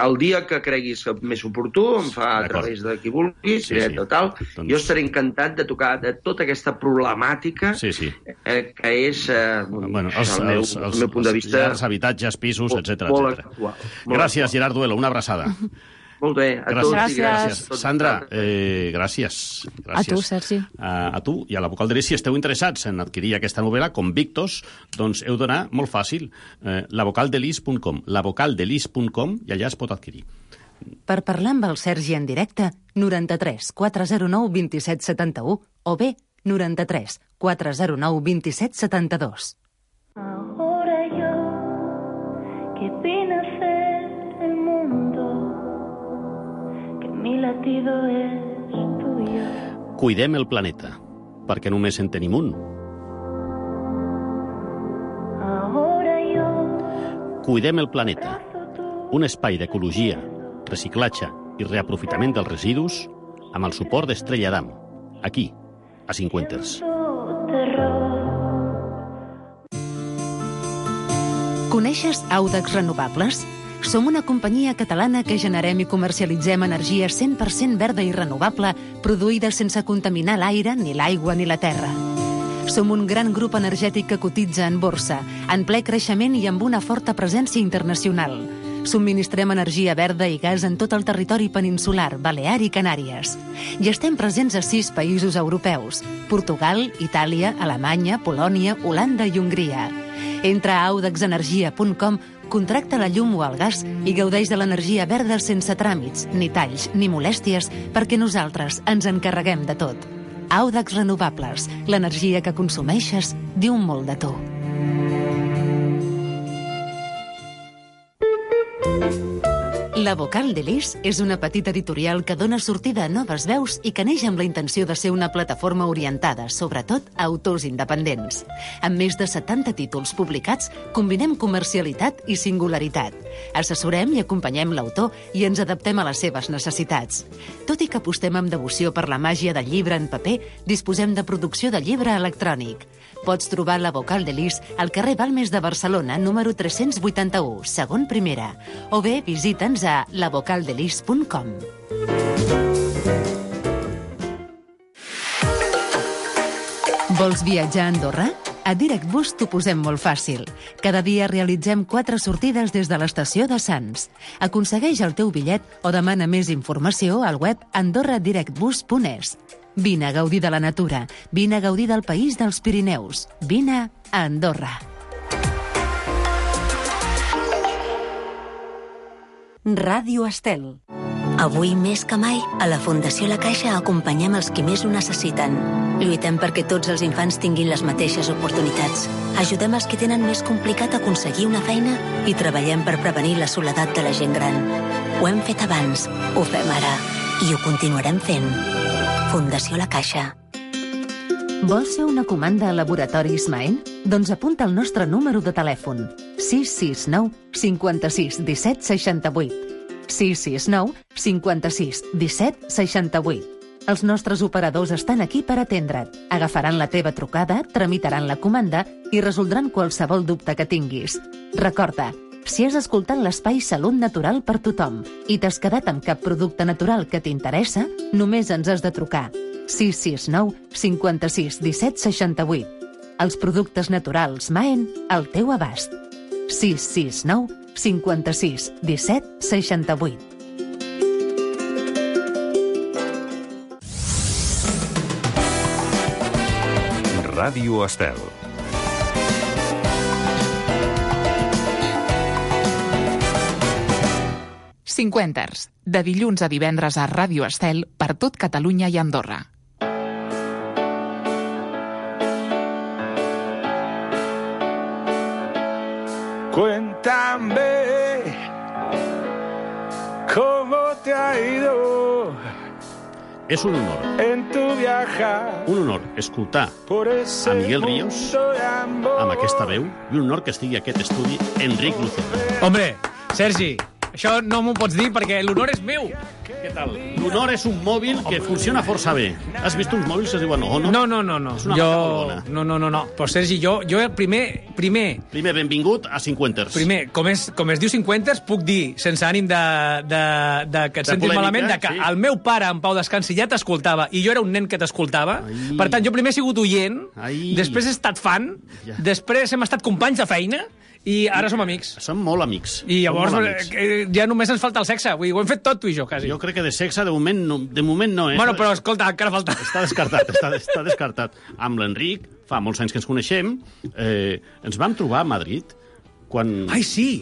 el dia que creguis més oportú, em fa a través de qui vulguis, sí, sí. Total, doncs... jo estaré encantat de tocar de tota aquesta problemàtica sí, sí. Eh, que és, eh, bueno, els, el, meu, els, els, el meu punt de vista... Els habitatges, pisos, etcètera. Molt actual. Gràcies, Gerard Duelo. Una abraçada. Molt bé, a gràcies. tots i gràcies. gràcies. Sandra, eh, gràcies. gràcies. A tu, Sergi. A, a tu i a la Vocal de l'Is. Si esteu interessats en adquirir aquesta novel·la, Convictos, doncs heu d'anar molt fàcil. Eh, la vocal de l'Is punt com, la vocal de l'Is punt com, i allà es pot adquirir. Per parlar amb el Sergi en directe, noranta-tres quatre zero nou dos set set u o bé noranta-tres quatre zero nou dos set set dos. Ahora yo, que vine a ser el mundo, que mi latido es tuyo. Cuidem el planeta, perquè només en tenim un. Ahora yo, Cuidem el planeta, un espai d'ecologia, reciclatge i reaprofitament dels residus amb el suport d'Estrella Damm, aquí, a Cinquenters. Coneixes Audax Renovables? Som una companyia catalana que generem i comercialitzem energia cent per cent verda i renovable, produïda sense contaminar l'aire, ni l'aigua ni la terra. Som un gran grup energètic que cotitza en borsa, en ple creixement i amb una forta presència internacional. Subministrem energia verda i gas en tot el territori peninsular, Balear i Canàries. I estem presents a sis països europeus: Portugal, Itàlia, Alemanya, Polònia, Holanda i Hongria. Entra a audax energia punt com, contracta la llum o el gas i gaudeix de l'energia verda sense tràmits, ni talls, ni molèsties, perquè nosaltres ens encarreguem de tot. Audax Renovables, l'energia que consumeixes diu molt de tu. La Vocal de l'Is és una petita editorial que dona sortida a noves veus i que neix amb la intenció de ser una plataforma orientada, sobretot, a autors independents. Amb més de setanta títols publicats, combinem comercialitat i singularitat. Assessorem i acompanyem l'autor i ens adaptem a les seves necessitats. Tot i que apostem amb devoció per la màgia del llibre en paper, disposem de producció de llibre electrònic. Pots trobar la Vocal de l'Is al carrer Balmes de Barcelona, número tres-cents vuitanta-u, segon primera, o bé visita'ns a la vocal de l'Is punt com. Vols viatjar a Andorra? A DirectBus t'ho posem molt fàcil. Cada dia realitzem quatre sortides des de l'estació de Sants. Aconsegueix el teu bitllet o demana més informació al web andorra direct bus punt es. Vine a gaudir de la natura, vine a gaudir del país dels Pirineus, vine a Andorra. Ràdio Estel. Avui més que mai, a la Fundació La Caixa acompanyem els qui més ho necessiten. Lluitem perquè tots els infants tinguin les mateixes oportunitats. Ajudem els que tenen més complicat aconseguir una feina i treballem per prevenir la soledat de la gent gran. Ho hem fet abans, ho fem ara i ho continuarem fent. Fundació La Caixa. Vols fer una comanda a Laboratoris Maen? Doncs apunta el nostre número de telèfon: sis sis nou cinquanta-sis disset seixanta-vuit. sis sis nou cinquanta-sis disset seixanta-vuit. Els nostres operadors estan aquí per atendre't. Agafaran la teva trucada, tramitaran la comanda i resoldran qualsevol dubte que tinguis. Recorda, si has escoltat l'espai Salut Natural per tothom i t'has quedat amb cap producte natural que t'interessa, només ens has de trucar. sis sis nou cinquanta-sis disset seixanta-vuit. Els productes naturals Maen al teu abast. sis sis nou cinquanta-sis disset seixanta-vuit. Ràdio Estel. Cinquenters, de dilluns a divendres a Ràdio Estel per tot Catalunya i Andorra. Cuéntame cómo te ha ido. És un honor. En tu viajar. Un honor escoltar a Miguel Ríos amb aquesta veu i un honor que estigui a aquest estudi Enric Lucena. Hombre, Sergi, això no m'ho pots dir perquè l'honor és meu. Què tal? L'honor és un mòbil que funciona força bé. Has vist uns mòbils que es diuen no, no? No, no, no, no. És una jo... marca molt bona. No, no, no, no. Però, Sergi, jo, jo primer, primer... Primer, benvingut a Cinquenters. Primer, com es, com es diu Cinquenters, puc dir, sense ànim de, de, de que et De sentis polèmica, malament, de que sí. el meu pare, en Pau Descansi, ja t'escoltava, i jo era un nen que t'escoltava. Per tant, jo primer he sigut oient, Ai. després he estat fan, Ja. després hem estat companys de feina, i ara som amics. Som molt amics. I llavors Som molt amics. eh, ja només ens falta el sexe. Vull dir, ho hem fet tot, tu i jo, quasi. Jo crec que de sexe, de moment, no, de moment no. Eh? Bueno, però escolta, encara falta. Està descartat, està, està descartat. Amb l'Enric, fa molts anys que ens coneixem, eh, ens vam trobar a Madrid, quan... Ai, sí,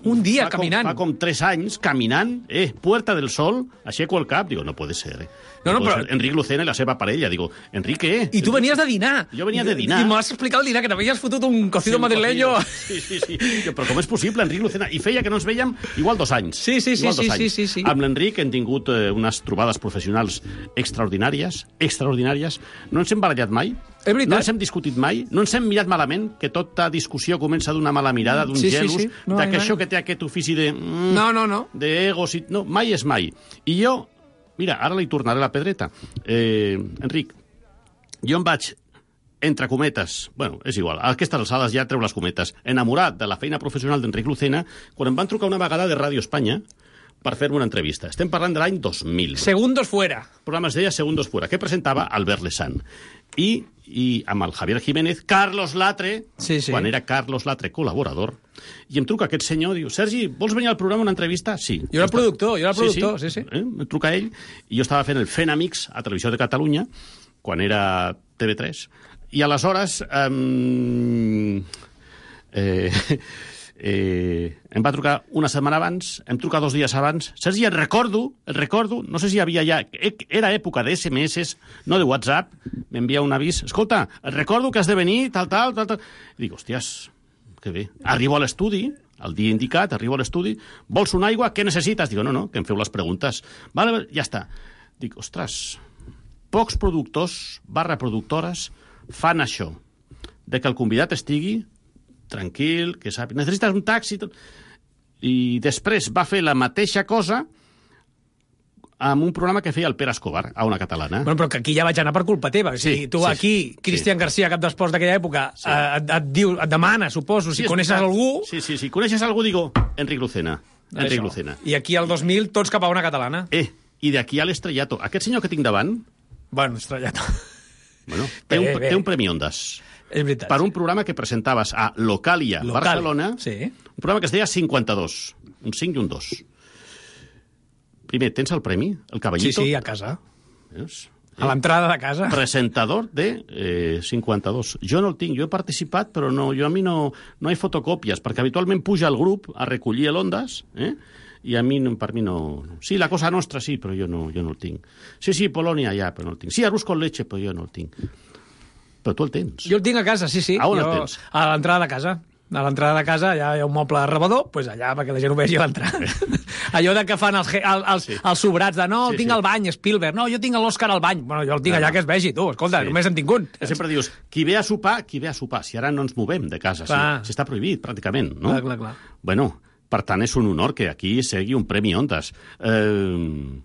un dia fa caminant. Com, fa com tres anys, caminant, eh, Puerta del Sol, aixeco el cap, digo, no puede ser, eh. No, no, puede però- ser. Enric Lucena i la seva parella, digo, Enric, què? I tu venies de dinar. Jo venia de dinar. I m'has explicat el dinar, que t'havies fotut un cocido un madrileño. cocido. Sí, sí, sí. Jo, però com és possible, Enric Lucena? I feia que no ens veiem igual dos anys. Sí, sí, sí, igual dos sí, anys. sí, sí, sí. Amb l'Enric hem tingut eh, unes trobades professionals extraordinàries, extraordinàries. No ens hem barallat mai. És veritat. No ens hem discutit mai, no ens hem mirat malament, que tota discussió comença d'una mala mirada, d'un Sí, sí, gelus, sí. No, de mai, que mai. això que té aquest ofici de... Mm, No, no, no. D'egos i... No, mai és mai. I jo, mira, ara li tornaré la pedreta. Eh, Enric, jo em vaig, entre cometes, bueno, és igual, a aquestes alçades ja treu les cometes, enamorat de la feina professional d'Enric Lucena, quan em van trucar una vegada de Ràdio Espanya per fer-me una entrevista. Estem parlant de l'any dos mil. Segundos fuera. El programa es deia Segundos Fuera, que presentava Albert Lesan. I, i amb el Javier Jiménez, Carlos Latre, Sí, sí. quan era Carlos Latre col·laborador, i em truca aquest senyor, diu, Sergi, vols venir al programa a una entrevista? Sí. Jo era el productor, jo era el productor, sí, sí. Eh? Em truca ell, i jo estava fent el Fent Amics a Televisió de Catalunya, quan era T V tres, i aleshores... Eh, eh, eh, em va trucar una setmana abans, em truca dos dies abans. Sergi, el recordo, el recordo, no sé si hi havia ja... Era època de esse eme esse, no de WhatsApp, m'envia un avís. Escolta, el recordo que has de venir, tal, tal, tal, tal. I dic, hòsties, que bé. Arribo a l'estudi, el dia indicat, arribo a l'estudi, vols una aigua, què necessites? Dic, no, no, que em feu les preguntes. Vale, ja està. Dic, ostres, pocs productors barra productores fan això, de que el convidat estigui tranquil, que sàpiga, necessites un taxi... Tot. I després va fer la mateixa cosa amb un programa que feia el Pere Escobar, a una catalana. Bueno, però que aquí ja vaig anar per culpa teva. Sí, Sí, tu sí, aquí, Cristian sí. García, cap d'esports d'aquella època, Sí. eh, et, et, diu, et demana, suposo, si és coneixes veritat. algú... Sí, sí, sí. Coneixes algú, digo, Enric Lucena. Enric Això. Lucena. I aquí al dos mil, tots cap a una catalana. Eh, i d'aquí a l'estrellato. Aquest senyor que tinc davant, Bueno, estrellato. bueno, té, Bé, un, bé. té un Premi Ondas. És veritat. Per un programa que presentaves a Localia, Localia, Barcelona, sí. un programa que es deia cinquanta-dos, un cinc i un dos. Primer, tens el premi, el Sí, caballito? sí, a casa. Veus? A l'entrada de casa. Presentador de eh, cinquanta-dos. Jo no el tinc, jo he participat, però no, jo a mi no, no hi ha fotocòpies, perquè habitualment puja al grup a recollir l'Ondas, eh? i a mi, no, per mi no... Sí, la cosa nostra sí, però jo no, jo no el tinc. Sí, sí, Polònia ja, però no el tinc. Sí, arròs con leche, però jo no el tinc. Però tu el tens. Jo el tinc a casa, sí, sí. A on el jo, tens? A l'entrada de casa. A l'entrada de casa allà hi ha un moble rebedor, doncs allà perquè la gent ho vegi a l'entrada. Allò de que fan els, ge- el- els, Sí. els sobrats de no, el Sí, tinc sí. al bany, Spielberg, no, jo tinc l'Òscar al bany. Bueno, jo el tinc No, allà no. que es vegi, tu, escolta, Sí. només en tinc un. Que sempre dius, qui ve a sopar, qui ve a sopar. Si ara no ens movem de casa, si, Clar. si està prohibit, pràcticament, no? Clar, clar, clar. Bueno, per tant, és un honor que aquí segui un Premi Ondas. Eh,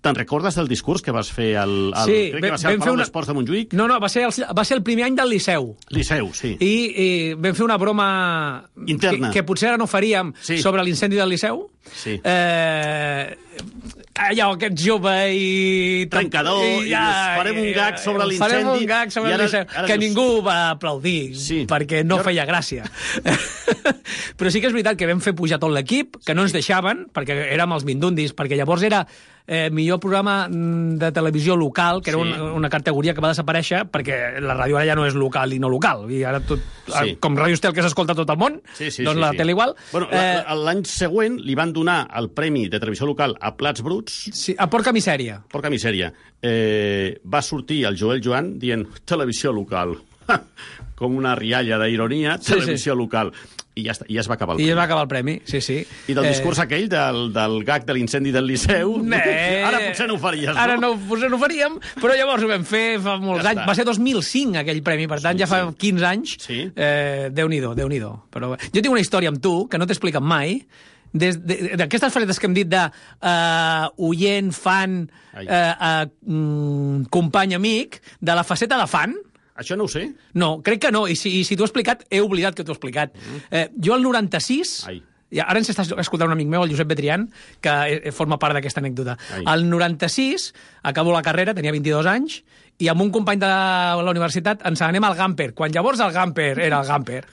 Te'n recordes del discurs que vas fer al, al Sí, crec que va vam- ser al vam fer Palau una- d'Esports de Montjuïc? No, no, va ser, el, va ser el primer any del Liceu. Liceu, sí. I, i vam fer una broma Interna. que, que potser ara no faríem Sí. sobre l'incendi del Liceu. Sí. Eh, allò, aquest jove i... Trencador, i, ja, i farem un gag sobre l'incendi. Farem un gag sobre l'incendi, que dius... ningú va aplaudir, sí. perquè no jo... feia gràcia. Però sí que és veritat que vam fer pujar tot l'equip, que no ens deixaven, perquè érem els mindundis, perquè llavors era eh, millor programa de televisió local, que era sí. una, una categoria que va desaparèixer, perquè la ràdio ara ja no és local i no local. I ara tot, sí. com Ràdio Estel, que s'escolta tot el món, sí, sí, doncs sí, la sí. tele igual. Bueno, eh... l'any següent li van donar el premi de televisió local a Plats Bruts. Sí, a Porca Misèria. Porca Misèria. Eh, va sortir el Joel Joan dient televisió local. Com una rialla d'ironia, televisió sí, sí. local. I ja, està, i ja es va acabar el I premi. I es va acabar el premi, sí, sí. I del discurs eh... aquell, del, del gag de l'incendi del Liceu, eh... ara potser no ho faries, no? Ara no, potser no ho faríem, però llavors ho vam fer fa molts ja anys. Està. Va ser dos mil cinc aquell premi, per tant, sí, ja fa sí. quinze anys. Sí. Eh, Déu-n'hi-do, Déu-n'hi-do. Però jo tinc una història amb tu, que no t'he explicat mai, d'aquestes facetes que hem dit de uh, oient, fan, uh, uh, mm, company, amic, de la faceta de fan. Això no ho sé. No, crec que no, i si, i si t'ho he explicat, he oblidat que t'ho he explicat. Mm. Eh, jo al noranta-sis... Ai. Ja, ara ens està escoltant un amic meu, el Josep Betrián, que eh, forma part d'aquesta anècdota. Ai. Al noranta-sis, acabo la carrera, tenia vint-i-dos anys, i amb un company de la universitat ens anem al Gamper, quan llavors el Gamper era el Gamper.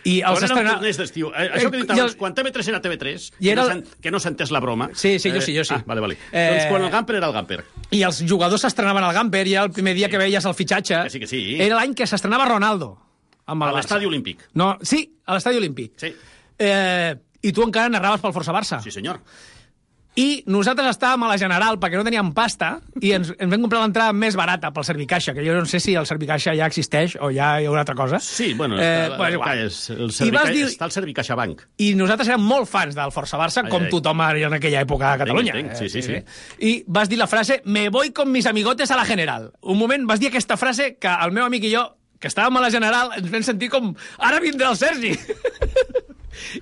I els estrena... eren torners d'estiu. Eh, això que he dit abans, el... quan T V tres era T V tres, que, era... no que no s'ha entès la broma... Sí, sí, jo sí, jo sí. Ah, vale, vale. Eh... Doncs quan el Gamper era el Gamper. I els jugadors s'estrenaven al Gamper, i era el primer dia sí. que veies el fitxatge. Que sí, que sí. Era l'any que s'estrenava Ronaldo. Amb a l'Estadi Olímpic. No, sí, a l'Estadi Olímpic. Sí. Eh, I tu encara narraves pel Força Barça. Sí, senyor. I nosaltres estàvem a la General perquè no teníem pasta i ens, ens vam comprar l'entrada més barata pel Servicaixa, que jo no sé si el Servicaixa ja existeix o ja hi ha una altra cosa. Sí, bueno, eh, està, bueno igual. És, el Servica... dir... està el Servicaixa Bank. I nosaltres érem molt fans del Força Barça, ai, com ai. tothom en aquella època a Catalunya. Entenc, entenc. Sí, sí, sí. I vas dir la frase, me voy con mis amigotes a la General. Un moment vas dir aquesta frase que el meu amic i jo, que estàvem a la General, ens vam sentir com, ara vindrà el Sergi.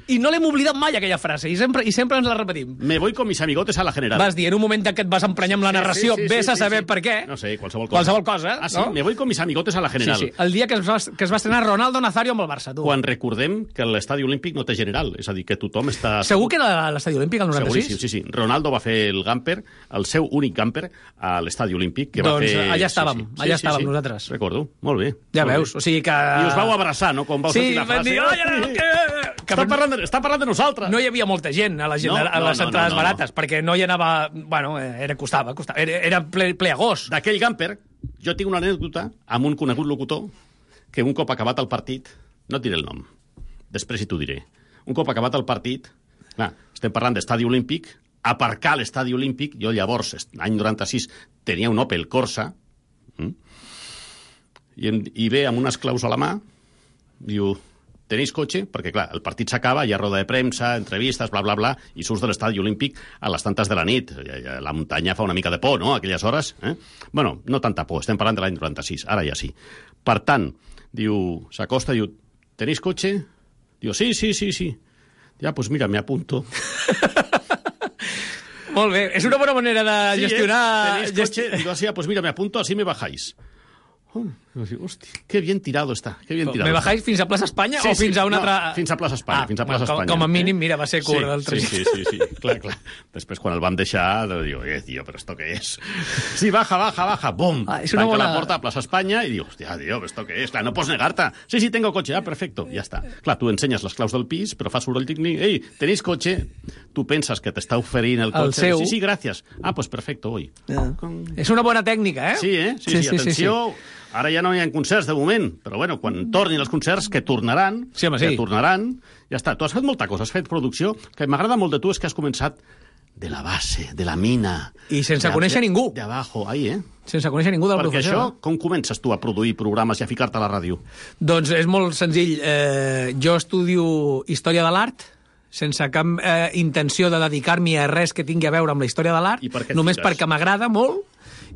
I no l'hem oblidat mai, aquella frase, i sempre, i sempre ens la repetim. Me voy con mis amigotes a la General. Vas dir, en un moment que et vas emprenyar amb la narració, sí, sí, sí, ves sí, a saber sí. per què. No sé, qualsevol cosa. Qualsevol cosa, Ah, sí? No? Me voy con mis amigotes a la General. Sí, sí. El dia que es va, que es va estrenar Ronaldo Nazario amb el Barça, tu. Quan recordem que l'Estadi Olímpic no té General, és a dir, que tothom està... Segur que era l'Estadi Olímpic, el noranta-sis? Seguríssim, sí, sí. Ronaldo va fer el Gamper, el seu únic Gamper, a l'Estadi Olímpic, que doncs va fer... allà estàvem, sí, sí. allà sí, estàvem sí, sí. nosaltres. Recordo, molt bé. Ja molt veus, bé. o sigui que... I us vau abraçar, no?, quan vau sí, sentir la frase. Dir, oh, ja, que... Que està, parlant de, està parlant de nosaltres. No hi havia molta gent a, la gent, no, a les no, entrades no, no, barates, no. perquè no hi anava... Bueno, era, costava, costava. Era, era ple, ple agost. D'aquell Gamper, jo tinc una anècdota amb un conegut locutor que un cop acabat el partit... No et diré el nom, després hi t'ho diré. Un cop acabat el partit... Clar, estem parlant d'Estadi Olímpic, aparcar l'Estadi Olímpic, jo llavors, l'any noranta-sis, tenia un Opel Corsa, hm? I, i ve amb unes claus a la mà, diu... Tenéis cotxe? Perquè, clar, el partit s'acaba, hi ha roda de premsa, entrevistes, bla, bla, bla, i surts de l'estadi olímpic a les tantes de la nit. La muntanya fa una mica de por, no?, aquelles hores. Eh? Bueno, no tanta por, estem parlant de l'any noranta-sis, ara ja sí. Per tant, diu, s'acosta, diu, tenéis cotxe? Diu, sí, sí, sí, sí. Ja, pues mira, me apunto. Molt bé, és una bona manera de sí, gestionar... Eh? Tenéis cotxe? Diu, así, pues mira, me apunto, así me bajáis. Oh, hòstia, que bien tirado està. Que bien tirado ¿Me bajáis fins a Plaça Espanya sí, o fins sí, a una no, altra...? Fins a Plaça Espanya, ah, fins a Plaça com, Espanya. Com a mínim, mira, va ser curt sí, el tret. Sí, sí, sí, sí, clar, clar. Després, quan el vam deixar, diu, eh, tio, però esto què és? Sí, baja, baja, baja, bum. Ah, Tanca bona... la porta a Plaça Espanya i diu, hòstia, tio, esto què és? Clar, no pots negar-te. Sí, sí, tengo cotxe, ah, perfecto, ja està. Clar, tu ensenyes les claus del pis, però fa soroll tècnic. Ei, tenéis cotxe? Tu penses que t'està oferint el cotxe. El seu. Sí, sí, gràcies. Ah, pues perfecto, voy. Yeah. Con... És una bona tècnica, eh? Sí, eh? Sí, sí, sí, sí atenció... Sí, sí. Ara ja no hi ha concerts de moment, però bueno, quan tornin els concerts, que tornaran, sí, home, sí. que tornaran, ja està. Tu has fet molta cosa, has fet producció, que m'agrada molt de tu és que has començat de la base, de la mina... I sense conèixer ningú. De abajo, ahí, eh? Sense conèixer ningú del Perquè professor. això, com comences tu a produir programes i a ficar-te a la ràdio? Doncs és molt senzill. Eh, jo estudio Història de l'Art, sense cap eh, intenció de dedicar-m'hi a res que tingui a veure amb la història de l'art, només fiques? Perquè m'agrada molt.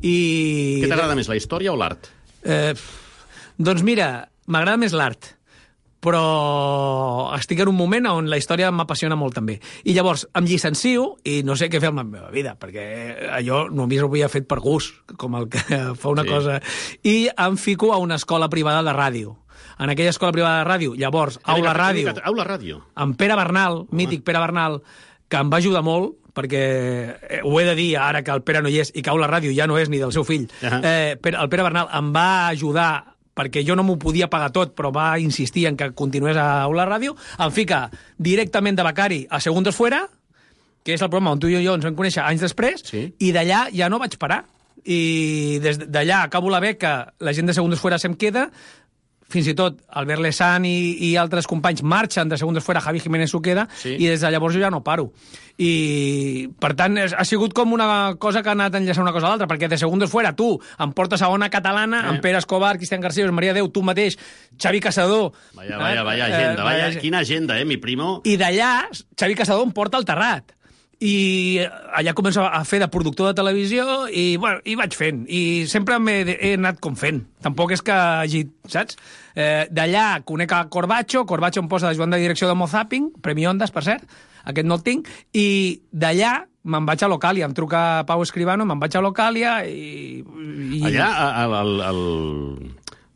I... Què t'agrada més, la història o l'art? Eh, doncs mira, m'agrada més l'art, però estic en un moment on la història m'apassiona molt també. I llavors em llicencio i no sé què fer amb la meva vida, perquè allò només ho havia fet per gust, com el que fa una sí. cosa. I em fico a una escola privada de ràdio. En aquella escola privada de ràdio, llavors, Aula Ràdio, Aula Ràdio, amb Pere Bernal, mític Pere Bernal, que em va ajudar molt, perquè eh, ho he de dir ara que el Pere no hi és i cau la ràdio ja no és ni del seu fill. Uh-huh. eh, el Pere Bernal em va ajudar perquè jo no m'ho podia pagar tot, però va insistir en que continués a la ràdio, em fica directament de becari a Segundos Fuera, que és el programa on tu i jo ens vam conèixer anys després, sí. I d'allà ja no vaig parar. I des d'allà acabo la beca, la gent de Segundos Fuera se'm queda, fins i tot Albert Lesan i, i altres companys marxen de Segundos Fuera, Javi Jiménez s'ho queda, sí. I des de llavors jo ja no paro. I, per tant, ha sigut com una cosa que ha anat enllaçant una cosa a l'altra, perquè de Segundos Fuera tu em portes a Ona Catalana, eh. amb Pere Escobar, Cristian García, Maria Déu, tu mateix, Xavi Casador... Vaya, vaya, vaya agenda, eh, vaya, vaya, quina agenda, eh, mi primo? I d'allà, Xavi Casador em porta al Terrat. I allà començo a fer de productor de televisió i, bueno, i vaig fent. I sempre he anat com fent. Tampoc és que hagi, saps? Eh, d'allà conec a Corbacho, Corbacho em posa de Joan de direcció de Mozaping, Premi Ondas, per cert, aquest no el tinc, i d'allà me'n vaig a Locàlia, em truca Pau Escribano, me'n vaig a Locàlia i... i... Allà, al, al, al,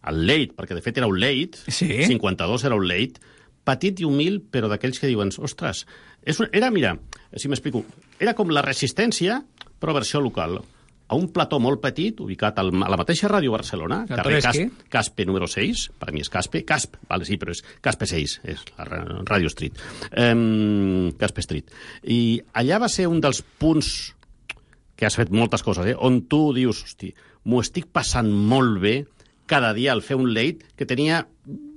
al Late, perquè de fet era un Late, sí. cinquanta-dos era un Late, petit i humil, però d'aquells que diuen, ostres, és un, era, mira, si m'explico, era com la Resistència, però versió local. A un plató molt petit, ubicat al, a la mateixa ràdio Barcelona, carrer Caspe, Caspe número seis, per mi és Caspe, Casp, vale, sí, però és Caspe seis, és la Ràdio Street, um, Caspe Street. I allà va ser un dels punts que has fet moltes coses, eh, on tu dius, hosti, m'ho estic passant molt bé cada dia al fer un late que tenia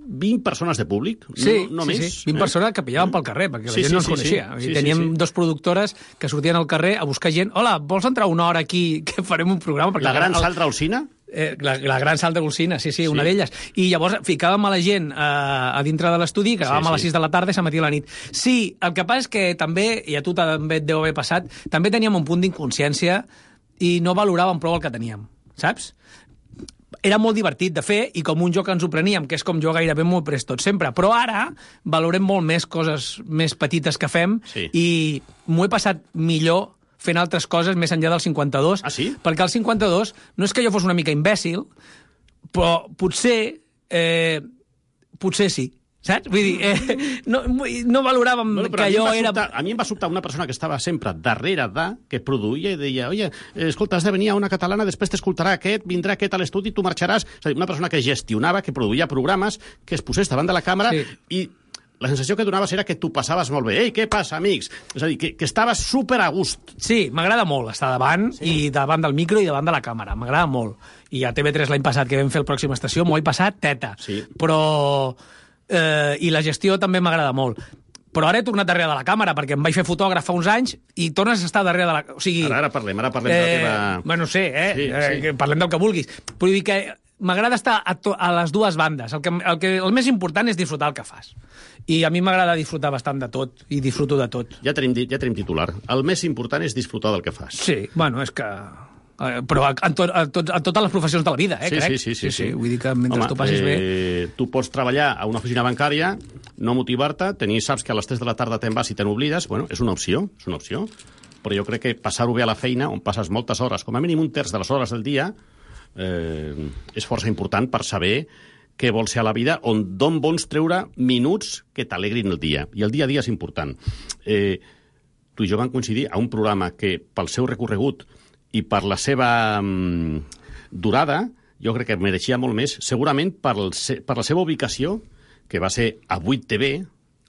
vint persones de públic, sí, no, no sí, més. Sí, vint eh? persones que pillaven pel carrer, perquè la sí, gent sí, no ens sí, coneixia. Sí, sí, teníem sí, sí. dos productores que sortien al carrer a buscar gent. Hola, vols entrar una hora aquí que farem un programa? Perquè la gran el, sal d'Alsina? Eh, la, la gran sal d'Alsina, sí, sí, sí, una d'elles. I llavors ficàvem a la gent eh, a dintre de l'estudi, que acabàvem sí, sí. a les sis de la tarda i s'emetia la nit. Sí, el que passa és que també, i a tu també et deu haver passat, també teníem un punt d'inconsciència i no valoràvem prou el que teníem, saps? Era molt divertit de fer i com un joc ens ho preníem, que és com jo gairebé m'ho he pres tot sempre. Però ara valorem molt més coses més petites que fem sí. i m'ho he passat millor fent altres coses més enllà del cinquanta-dos. Ah, sí? Perquè el cinquanta-dos no és que jo fos una mica imbècil, però potser... Eh, potser sí. Saps? Vull dir, eh, no, no valoràvem bueno, que allò era... Sobtar, a mi em va sobtar una persona que estava sempre darrere de, que produïa i deia, oye, escolta, has de venir a una catalana, després t'escoltarà aquest, vindrà aquest a l'estudi i tu marxaràs. És a dir, una persona que gestionava, que produïa programes, que es posés davant de la càmera sí. i la sensació que donaves era que tu passaves molt bé. Ei, què passa, amics? És a dir, que, que estaves super a gust. Sí, m'agrada molt estar davant sí. i davant del micro i davant de la càmera. M'agrada molt. I a T V tres l'any passat, que vam fer el Pròxima Estació, m'ho he passat teta. Sí. Però... Eh, i la gestió també m'agrada molt. Però ara he tornat darrere de la càmera, perquè em vaig fer fotògraf fa uns anys i tornes a estar darrere de la... O sigui, ara, ara parlem, ara parlem eh, de la teva... Bueno, no sé, eh? Sí, sí. Eh, parlem del que vulguis. Però dir que m'agrada estar a, to a les dues bandes. El, que, el, que, el més important és disfrutar el que fas. I a mi m'agrada disfrutar bastant de tot, i disfruto de tot. Ja tenim, ja tenim titular. El més important és disfrutar del que fas. Sí, bueno, és que... Uh, però en, to, a, tot, a totes les professions de la vida, eh, sí, crec. Sí, sí, sí, sí, sí. Vull dir que mentre Home, tu passis eh, bé... Tu pots treballar a una oficina bancària, no motivar-te, tenir, saps que a les tres de la tarda te'n vas i te n'oblides, bueno, és una opció, és una opció, però jo crec que passar-ho bé a la feina, on passes moltes hores, com a mínim un terç de les hores del dia, eh, és força important per saber què vols ser a la vida, on d'on vols treure minuts que t'alegrin el dia. I el dia a dia és important. Eh, tu i jo vam coincidir a un programa que, pel seu recorregut, i per la seva um, durada, jo crec que mereixia molt més, segurament per, el, per la seva ubicació, que va ser a vuit T V,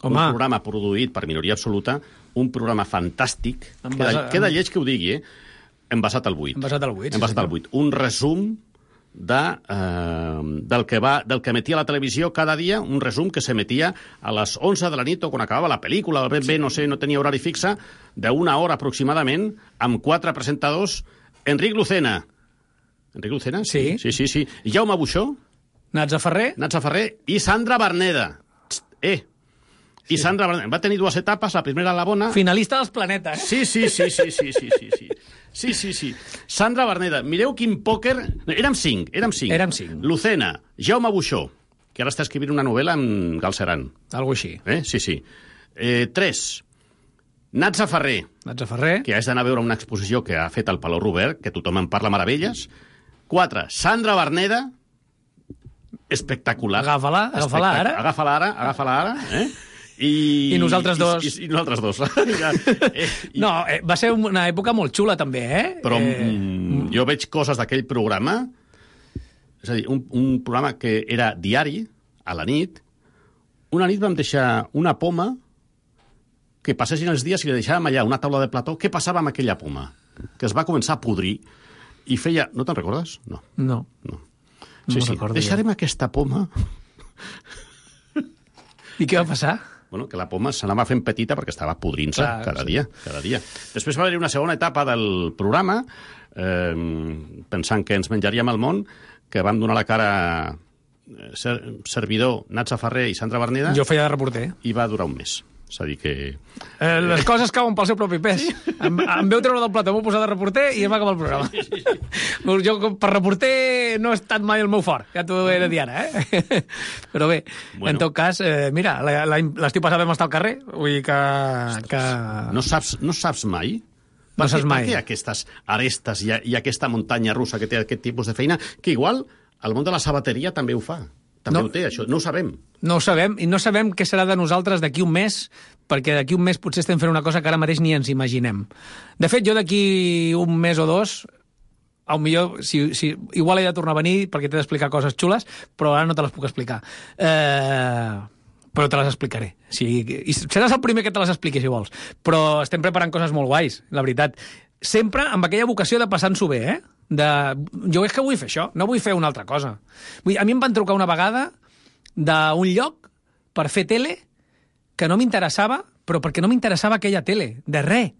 Home. un programa produït per minoria absoluta, un programa fantàstic, Envasa... queda, queda lleig que ho digui, eh? Envasat al vuit. Envasat al vuit, Envasat sí, al vuit. Un resum de, eh, del, que va, del que emetia la televisió cada dia, un resum que s'emetia a les onze de la nit o quan acabava la pel·lícula, ben bé, no sé, no tenia horari fixe, d'una hora aproximadament, amb quatre presentadors. Enric Lucena. Enric Lucena? Sí. Sí, sí, sí. Jaume Buixó. Natza Ferrer. Natza Ferrer i Sandra Berneda. Eh. I sí. Sandra Berneda. Va tenir dues etapes, la primera a la bona... Finalista dels planetes. Sí, sí, sí, sí, sí, sí, sí, sí. Sí, sí, sí. Sandra Berneda. Mireu quin pòquer... Érem cinc, érem cinc. Érem cinc. Lucena, Jaume Buixó, que ara està escrivint una novel·la amb Galceran. Algo així. Eh? Sí, sí. Eh, tres. Natza Ferrer, Natza Ferrer, que has d'anar a veure una exposició que ha fet al Palau Robert, que tothom en parla meravelles. Quatre, Sandra Berneda, espectacular. Agafa-la, agafa-la ara. Agafa-la ara, agafa-la ara. Eh? I, I nosaltres dos. I, i, i nosaltres dos. ja, eh, i... No, eh, va ser una època molt xula, també, eh? Però eh... mm, jo veig coses d'aquell programa, és a dir, un, un programa que era diari, a la nit. Una nit vam deixar una poma que passessin els dies i li deixàvem allà una taula de plató. Què passava amb aquella poma? Que es va començar a podrir i feia... No te'n recordes? No. No. no. No sí, sí. Deixarem jo. aquesta poma... I què va passar? Bueno, que la poma s'anava fent petita perquè estava podrint-se cada sí. dia, cada dia. Després va haver-hi una segona etapa del programa, eh, pensant que ens menjaríem el món, que vam donar la cara ser, servidor Natza Ferrer i Sandra Berneda. Jo feia de reporter. I va durar un mes. És a dir que... Eh, les coses cauen pel seu propi pes. Sí. Em, em veu treure del plató, m'ho posar de reporter i em va acabar el programa. Sí, sí, sí. Jo, per reporter, no he estat mai el meu fort. Ja t'ho he de dir ara, eh? Però bé, bueno. En tot cas, eh, mira, l'estiu passat vam estar al carrer, vull dir que... que... No, saps, no saps mai? No per saps què, mai. Per què aquestes arestes i, i aquesta muntanya russa que té aquest tipus de feina, que igual el món de la sabateria també ho fa. També no, ho té, això. No ho sabem. No ho sabem, i no sabem què serà de nosaltres d'aquí un mes, perquè d'aquí un mes potser estem fent una cosa que ara mateix ni ens imaginem. De fet, jo d'aquí un mes o dos, al millor, si, si, igual he de tornar a venir perquè t'he d'explicar coses xules, però ara no te les puc explicar. Eh, però te les explicaré. Sí, i seràs el primer que te les expliqui, si vols. Però estem preparant coses molt guais, la veritat. Sempre amb aquella vocació de passar-nos-ho bé, eh? De... Jo és que vull fer això, no vull fer una altra cosa. Vull... A mi em van trucar una vegada d'un lloc per fer tele que no m'interessava, però perquè no m'interessava aquella tele. De res.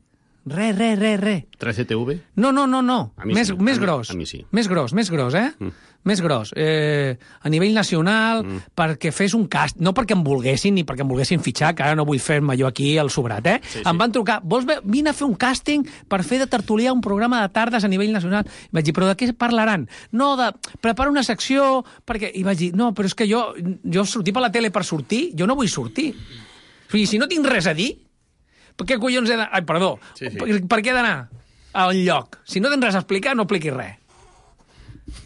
Re, re, re, re. tres C T V? No, no, no, no. A mi més, sí. més a gros. Mi, a mi sí. Més gros, més gros, eh? Mm. Més gros. Eh, a nivell nacional, mm. perquè fes un cast... No perquè em volguessin ni perquè em volguessin fitxar, que ara no vull fer-me jo aquí el sobrat, eh? Sí, sí. Em van trucar, vols ve... vine a fer un càsting per fer de tertulià un programa de tardes a nivell nacional. I vaig dir, però de què parlaran? No, de... Prepara una secció... perquè... I vaig dir, no, però és que jo, jo sortir per la tele per sortir, jo no vull sortir. O sigui, si no tinc res a dir, per què collons he d'anar... Ai, perdó. Sí, sí. Per, per què he d'anar a un lloc? Si no tens res a explicar, no expliquis res.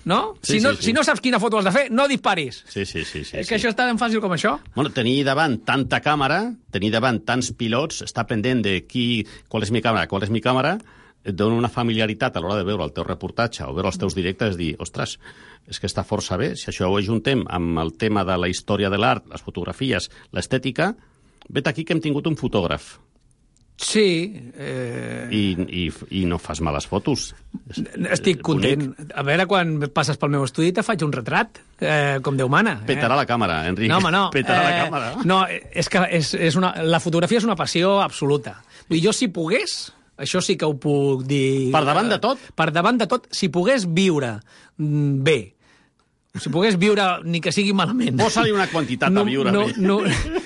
No? Sí, si, no sí, sí. si no saps quina foto has de fer, no disparis. Sí, sí, sí. sí és que sí. això és tan fàcil com això. Bueno, tenir davant tanta càmera, tenir davant tants pilots, estar pendent de qui, qual és mi càmera, qual és mi càmera, et dona una familiaritat a l'hora de veure el teu reportatge o veure els teus directes, és dir, ostres, és que està força bé. Si això ho ajuntem amb el tema de la història de l'art, les fotografies, l'estètica, vet aquí que hem tingut un fotògraf. Sí. Eh... I, i, I no fas males fotos. Estic content. A veure, quan passes pel meu estudi te faig un retrat, eh, com Déu mana. Eh? Petarà la càmera, Enric. No, home, no. Petarà eh, la càmera. No, és que és, és una, la fotografia és una passió absoluta. I jo, si pogués, això sí que ho puc dir... Per davant de tot? Per davant de tot, si pogués viure bé, si pogués viure, ni que sigui malament... Posa-li una quantitat no, a viure no, bé. No,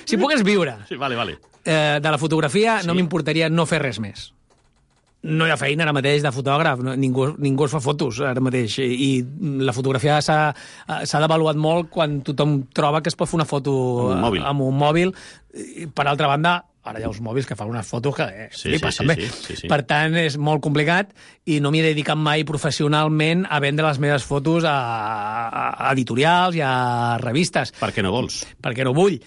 si pogués viure... Sí, vale, vale. Eh, de la fotografia, sí. No m'importaria no fer res més. No hi ha feina ara mateix de fotògraf, no, ningú, ningú es fa fotos ara mateix, i, i la fotografia s'ha devaluat molt quan tothom troba que es pot fer una foto amb un mòbil. Amb un mòbil. I, per altra banda, ara hi ha uns mòbils que fan unes fotos que eh, sí, flipes, sí, també. Sí, sí, sí. Per tant, és molt complicat i no m'hi he dedicat mai professionalment a vendre les meves fotos a, a, a editorials i a revistes. Per què no vols? Perquè no vull.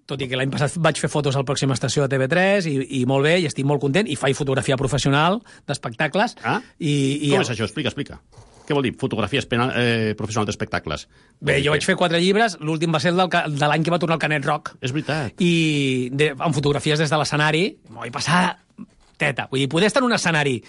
Tot i que l'any passat vaig fer fotos al Pròxima Estació de T V tres i, i molt bé, i estic molt content, i faig fotografia professional d'espectacles. Ah? I, i Com és això? Explica, explica. Què vol dir, fotografia eh, professional d'espectacles? Bé, jo vaig fer quatre llibres, l'últim va ser el del, de l'any que va tornar el Canet Rock. És veritat. I de, amb fotografies des de l'escenari, m'ho vaig passar teta. Vull dir, poder estar en un escenari.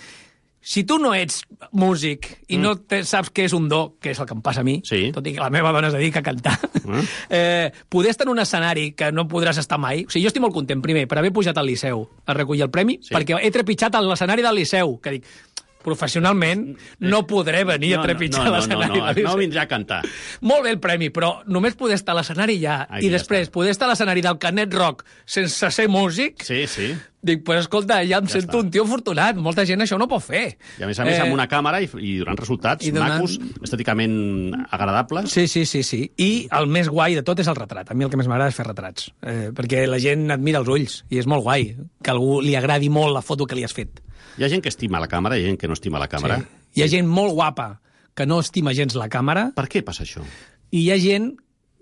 Si tu no ets músic i mm. no te, saps què és un do, que és el que em passa a mi, sí. Tot i que la meva dona es dedica a cantar, mm. eh, poder estar en un escenari que no podràs estar mai... O sigui, jo estic molt content, primer, per haver pujat al Liceu a recollir el premi, sí. Perquè he trepitjat a l'escenari del Liceu, que dic, professionalment no podré venir no, a trepitjar no, no, no, l'escenari no, no, no vindrà a cantar. Molt bé el premi, però només poder estar a l'escenari ja, Ai, i ja després està. Poder estar a l'escenari del Canet Rock sense ser músic... Sí, sí. Dic, pues escolta, ja em ja sento està. Un tio afortunat. Molta gent això no pot fer. I a més a més eh, amb una càmera i, i donant resultats i donant... macos, estèticament agradables. Sí, sí, sí, sí. I el més guai de tot és el retrat. A mi el que més m'agrada és fer retrats. Eh, perquè la gent admira els ulls i és molt guai que a algú li agradi molt la foto que li has fet. Hi ha gent que estima la càmera i hi ha gent que no estima la càmera. Sí. Hi ha gent molt guapa que no estima gens la càmera. Per què passa això? I hi ha gent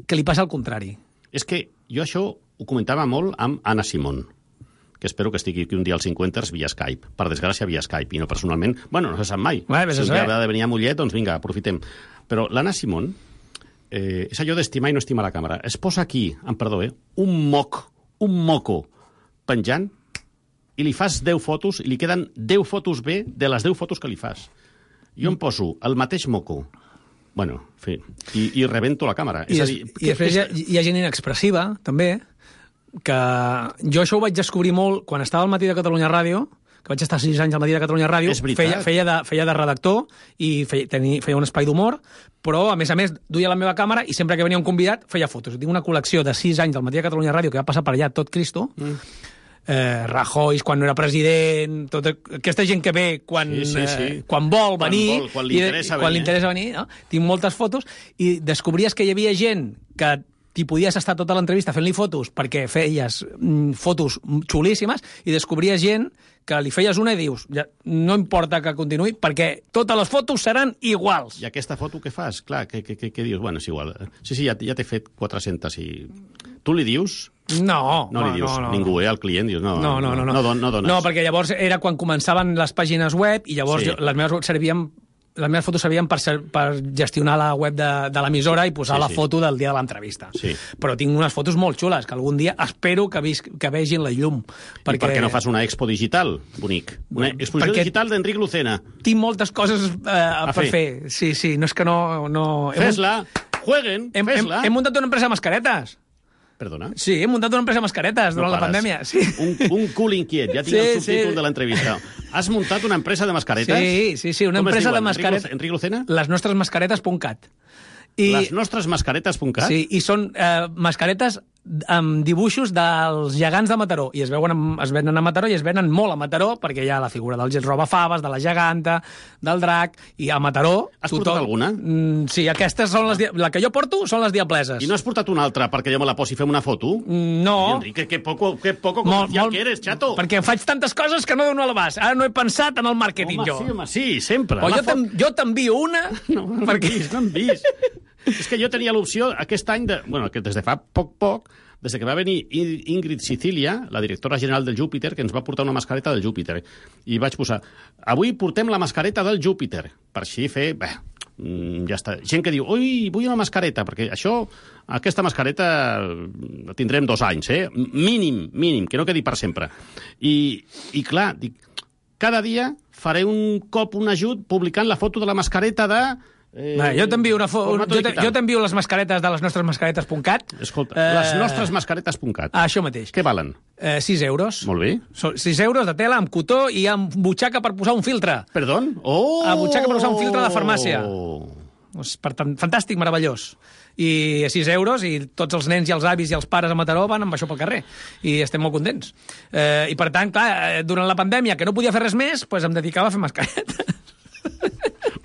que li passa el contrari. És que jo això ho comentava molt amb Anna Simón, que espero que estigui aquí un dia als cinquanters via Skype. Per desgràcia, via Skype, i no personalment. Bueno, no se sap mai. Bé, si un dia ha de venir a Mollet, doncs vinga, aprofitem. Però l'Anna Simón, eh, és allò d'estimar i no estimar la càmera. Es posa aquí, amb perdó, eh, un moc, un moco penjant, i li fas deu fotos, i li queden deu fotos bé de les deu fotos que li fas. Jo em poso el mateix moco, bueno, en fi, i, i rebento la càmera. I, és a dir, i que, després hi ha, hi ha gent inexpressiva, també, que jo això ho vaig descobrir molt quan estava al Matí de Catalunya Ràdio, que vaig estar sis anys al Matí de Catalunya Ràdio, feia, feia, de, feia de redactor i feia, tenia, feia un espai d'humor, però, a més a més, duia la meva càmera i sempre que venia un convidat feia fotos. Tinc una col·lecció de sis anys al Matí de Catalunya Ràdio que va passar per allà tot Cristo, mm. eh, Rajoy quan no era president, tota aquesta gent que ve quan, sí, sí, sí. Eh, quan vol venir, quan, vol, quan li interessa i, quan venir, li interessa venir no? Tinc moltes fotos i descobries que hi havia gent que t'hi podies estar tota l'entrevista fent-li fotos perquè feies mm, fotos xulíssimes i descobries gent que li feies una i dius, ja, no importa que continuï, perquè totes les fotos seran iguals. I aquesta foto què fas? Clar, què, què, què, què dius? Bueno, és igual. Sí, sí, ja, ja t'he fet quatre-centes i... Tu li dius? No. No li dius, no, no, ningú, eh? El client dius, no, no, no, no, no. no, don, no dones. No, perquè llavors era quan començaven les pàgines web i llavors sí. jo, les meves servien... Les meves fotos servien per, ser, per gestionar la web de, de l'emissora i posar sí, la sí. foto del dia de l'entrevista. Sí. Però tinc unes fotos molt xules que algun dia espero que, vis, que vegin la llum. Perquè... I per què no fas una expo digital, bonic? Una exposició perquè digital d'Enric Lucena. Tinc moltes coses eh, per fer. fer. Sí, sí, no és que no... no... Fes-la, jueguen, hem, fes-la. Hem, hem muntat una empresa de mascaretes. Perdona? Sí, hem muntat una empresa de mascaretes durant no la pandèmia. Sí. Un, un cul inquiet, ja tinc sí, el subtítol sí. de l'entrevista. Has muntat una empresa de mascaretes? Sí, sí, sí, una Com empresa de mascaretes. Enric Lucena? Les nostres mascaretes punt cat. I... Les nostres mascaretes punt cat? Sí, i són eh, mascaretes amb dibuixos dels gegants de Mataró. I es, veuen, es venen a Mataró i es venen molt a Mataró perquè hi ha la figura del robafaves, de la geganta, del drac, i a Mataró... Has tothom... portat alguna? Mm, sí, aquestes són les... La que jo porto són les diableses. I no has portat una altra perquè jo me la posi i fem una foto? Mm, no. I Enrique, que poco, que poco comercial que eres, chato. Perquè faig tantes coses que no dono a l'abast. Ara no he pensat en el màrqueting, home, jo. Sí, home, sí, sempre. O jo, jo t'envio una... No, no perquè... vist, no hem vist. És que jo tenia l'opció aquest any, de, bueno, que des de fa poc, poc, des que va venir Ingrid Sicilia, la directora general del Júpiter, que ens va portar una mascareta del Júpiter. I vaig posar, avui portem la mascareta del Júpiter, per així fer... Bé, ja està. Gent que diu, ui, vull una mascareta, perquè això, aquesta mascareta la tindrem dos anys, eh? Mínim, mínim, que no quedi per sempre. I, i clar, dic, cada dia faré un cop, un ajut, publicant la foto de la mascareta de... Eh, Va, jo t'envio una fo... jo, te, jo t'envio les mascaretes de les nostres mascaretes punt cat. Escolta, eh... les nostres mascaretes punt cat. Ah, això mateix. Què valen? Eh, sis euros. Molt bé. So, sis euros de tela amb cotó i amb butxaca per posar un filtre. Perdó? Oh! A butxaca per posar un filtre de farmàcia. Pues, per tant, fantàstic, meravellós. I a sis euros, i tots els nens i els avis i els pares a Mataró van amb això pel carrer. I estem molt contents. Eh, I per tant, clar, durant la pandèmia, que no podia fer res més, pues em dedicava a fer mascaretes.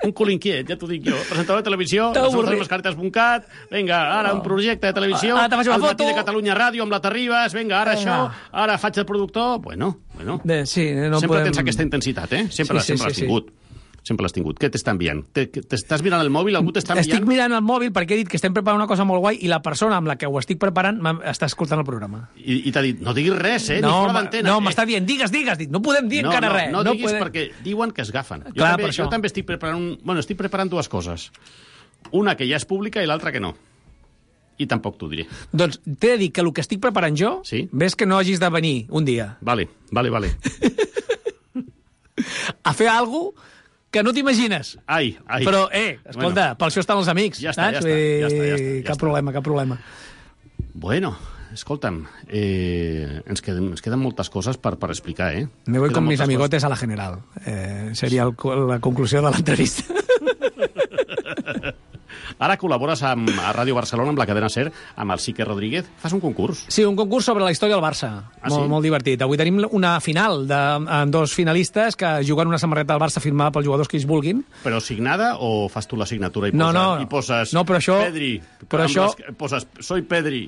Un cul inquiet, ja t'ho dic jo. Presentador de televisió, les nostres mascaretes punt cat, vinga, ara un projecte de televisió, ah, al Matí de Catalunya Ràdio amb la Terribas, vinga, ara això, ara faig el productor... Bueno, bueno. De, sí, no sempre podem... tens aquesta intensitat, eh? Sempre, sí, sí, sempre l'has sí, tingut. Sí. Sempre l'has tingut. Què t'està enviant? T'estàs mirant el mòbil? Algú t'està enviant? Estic mirant el mòbil perquè he dit que estem preparant una cosa molt guai i la persona amb la que ho estic preparant està escoltant el programa. I, i t'ha dit, no diguis res, eh? No, ni fora d'antena. No, eh? m'està dient, digues, digues. Dic, no podem dir no, encara no, res. No, no diguis podem... perquè diuen que es gafen. Jo, Clar, també, jo també estic preparant... Un... Bueno, estic preparant dues coses. Una que ja és pública i l'altra que no. I tampoc t'ho diré. Doncs t'he de dir que el que estic preparant jo, sí? ves que no hagis de venir un dia. Vale, vale, vale. A fer alguna cosa que no t'imagines. Ai, ai. Però, eh, escolta, bueno, per això estan els amics. Ja està, ja està, ja està, ja està, ja cap està. problema, cap problema. Bueno, escolta'm, eh, ens, queden, ens queden moltes coses per, per explicar, eh? Me voy queden con mis amigotes coses. a la general. Eh, seria el, la conclusió de l'entrevista. Ara col·labores amb, a Ràdio Barcelona, amb la cadena SER, amb el Sique Rodríguez. Fas un concurs? Sí, un concurs sobre la història del Barça. Ah, molt, sí? molt divertit. Avui tenim una final de, amb dos finalistes que juguen una samarreta del Barça firmada pels jugadors que ells vulguin. Però signada o fas tu la signatura i, no, poses, no, i poses no, però això, Pedri? Però això, les, poses soy Pedri.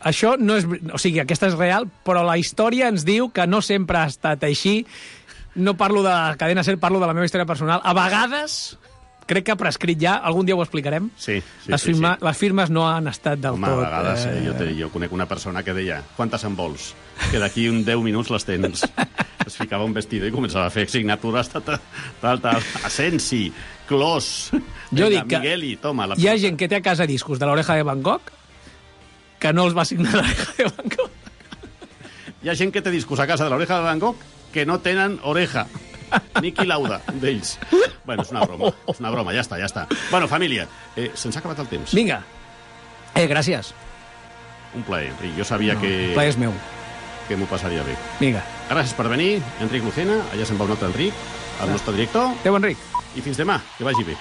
Això no és... O sigui, aquesta és real, però la història ens diu que no sempre ha estat així. No parlo de la cadena SER, parlo de la meva història personal. A vegades... crec que ha prescrit ja, algun dia ho explicarem. Sí, sí, les, sí, firma, sí. les firmes no han estat del Home, tot... a vegades eh... jo, te, jo conec una persona que deia quantes en vols? Que d'aquí un deu minuts les tens. Es ficava un vestido i començava a fer signatures tal, tal, tal. Asensi, Clos, jo dic que Migueli, toma. La... Hi ha gent que té a casa discos de l'Oreja de Van Gogh que no els va signar l'Oreja de Van Gogh. Hi ha gent que té discos a casa de l'Oreja de Van Gogh que no tenen oreja. Niki Lauda, d'ells. Bueno, és una broma, és una broma, ja està, ja està. Bueno, família, eh, se'ns ha acabat el temps. Vinga. Eh, gràcies. Un plaer, Enric. Jo sabia no, que... El plaer és meu. Que m'ho passaria bé. Vinga. Gràcies per venir, Enric Lucena. Allà se'n va un altre Enric, el nostre director. Adéu, Enric. I fins demà, que vagi bé.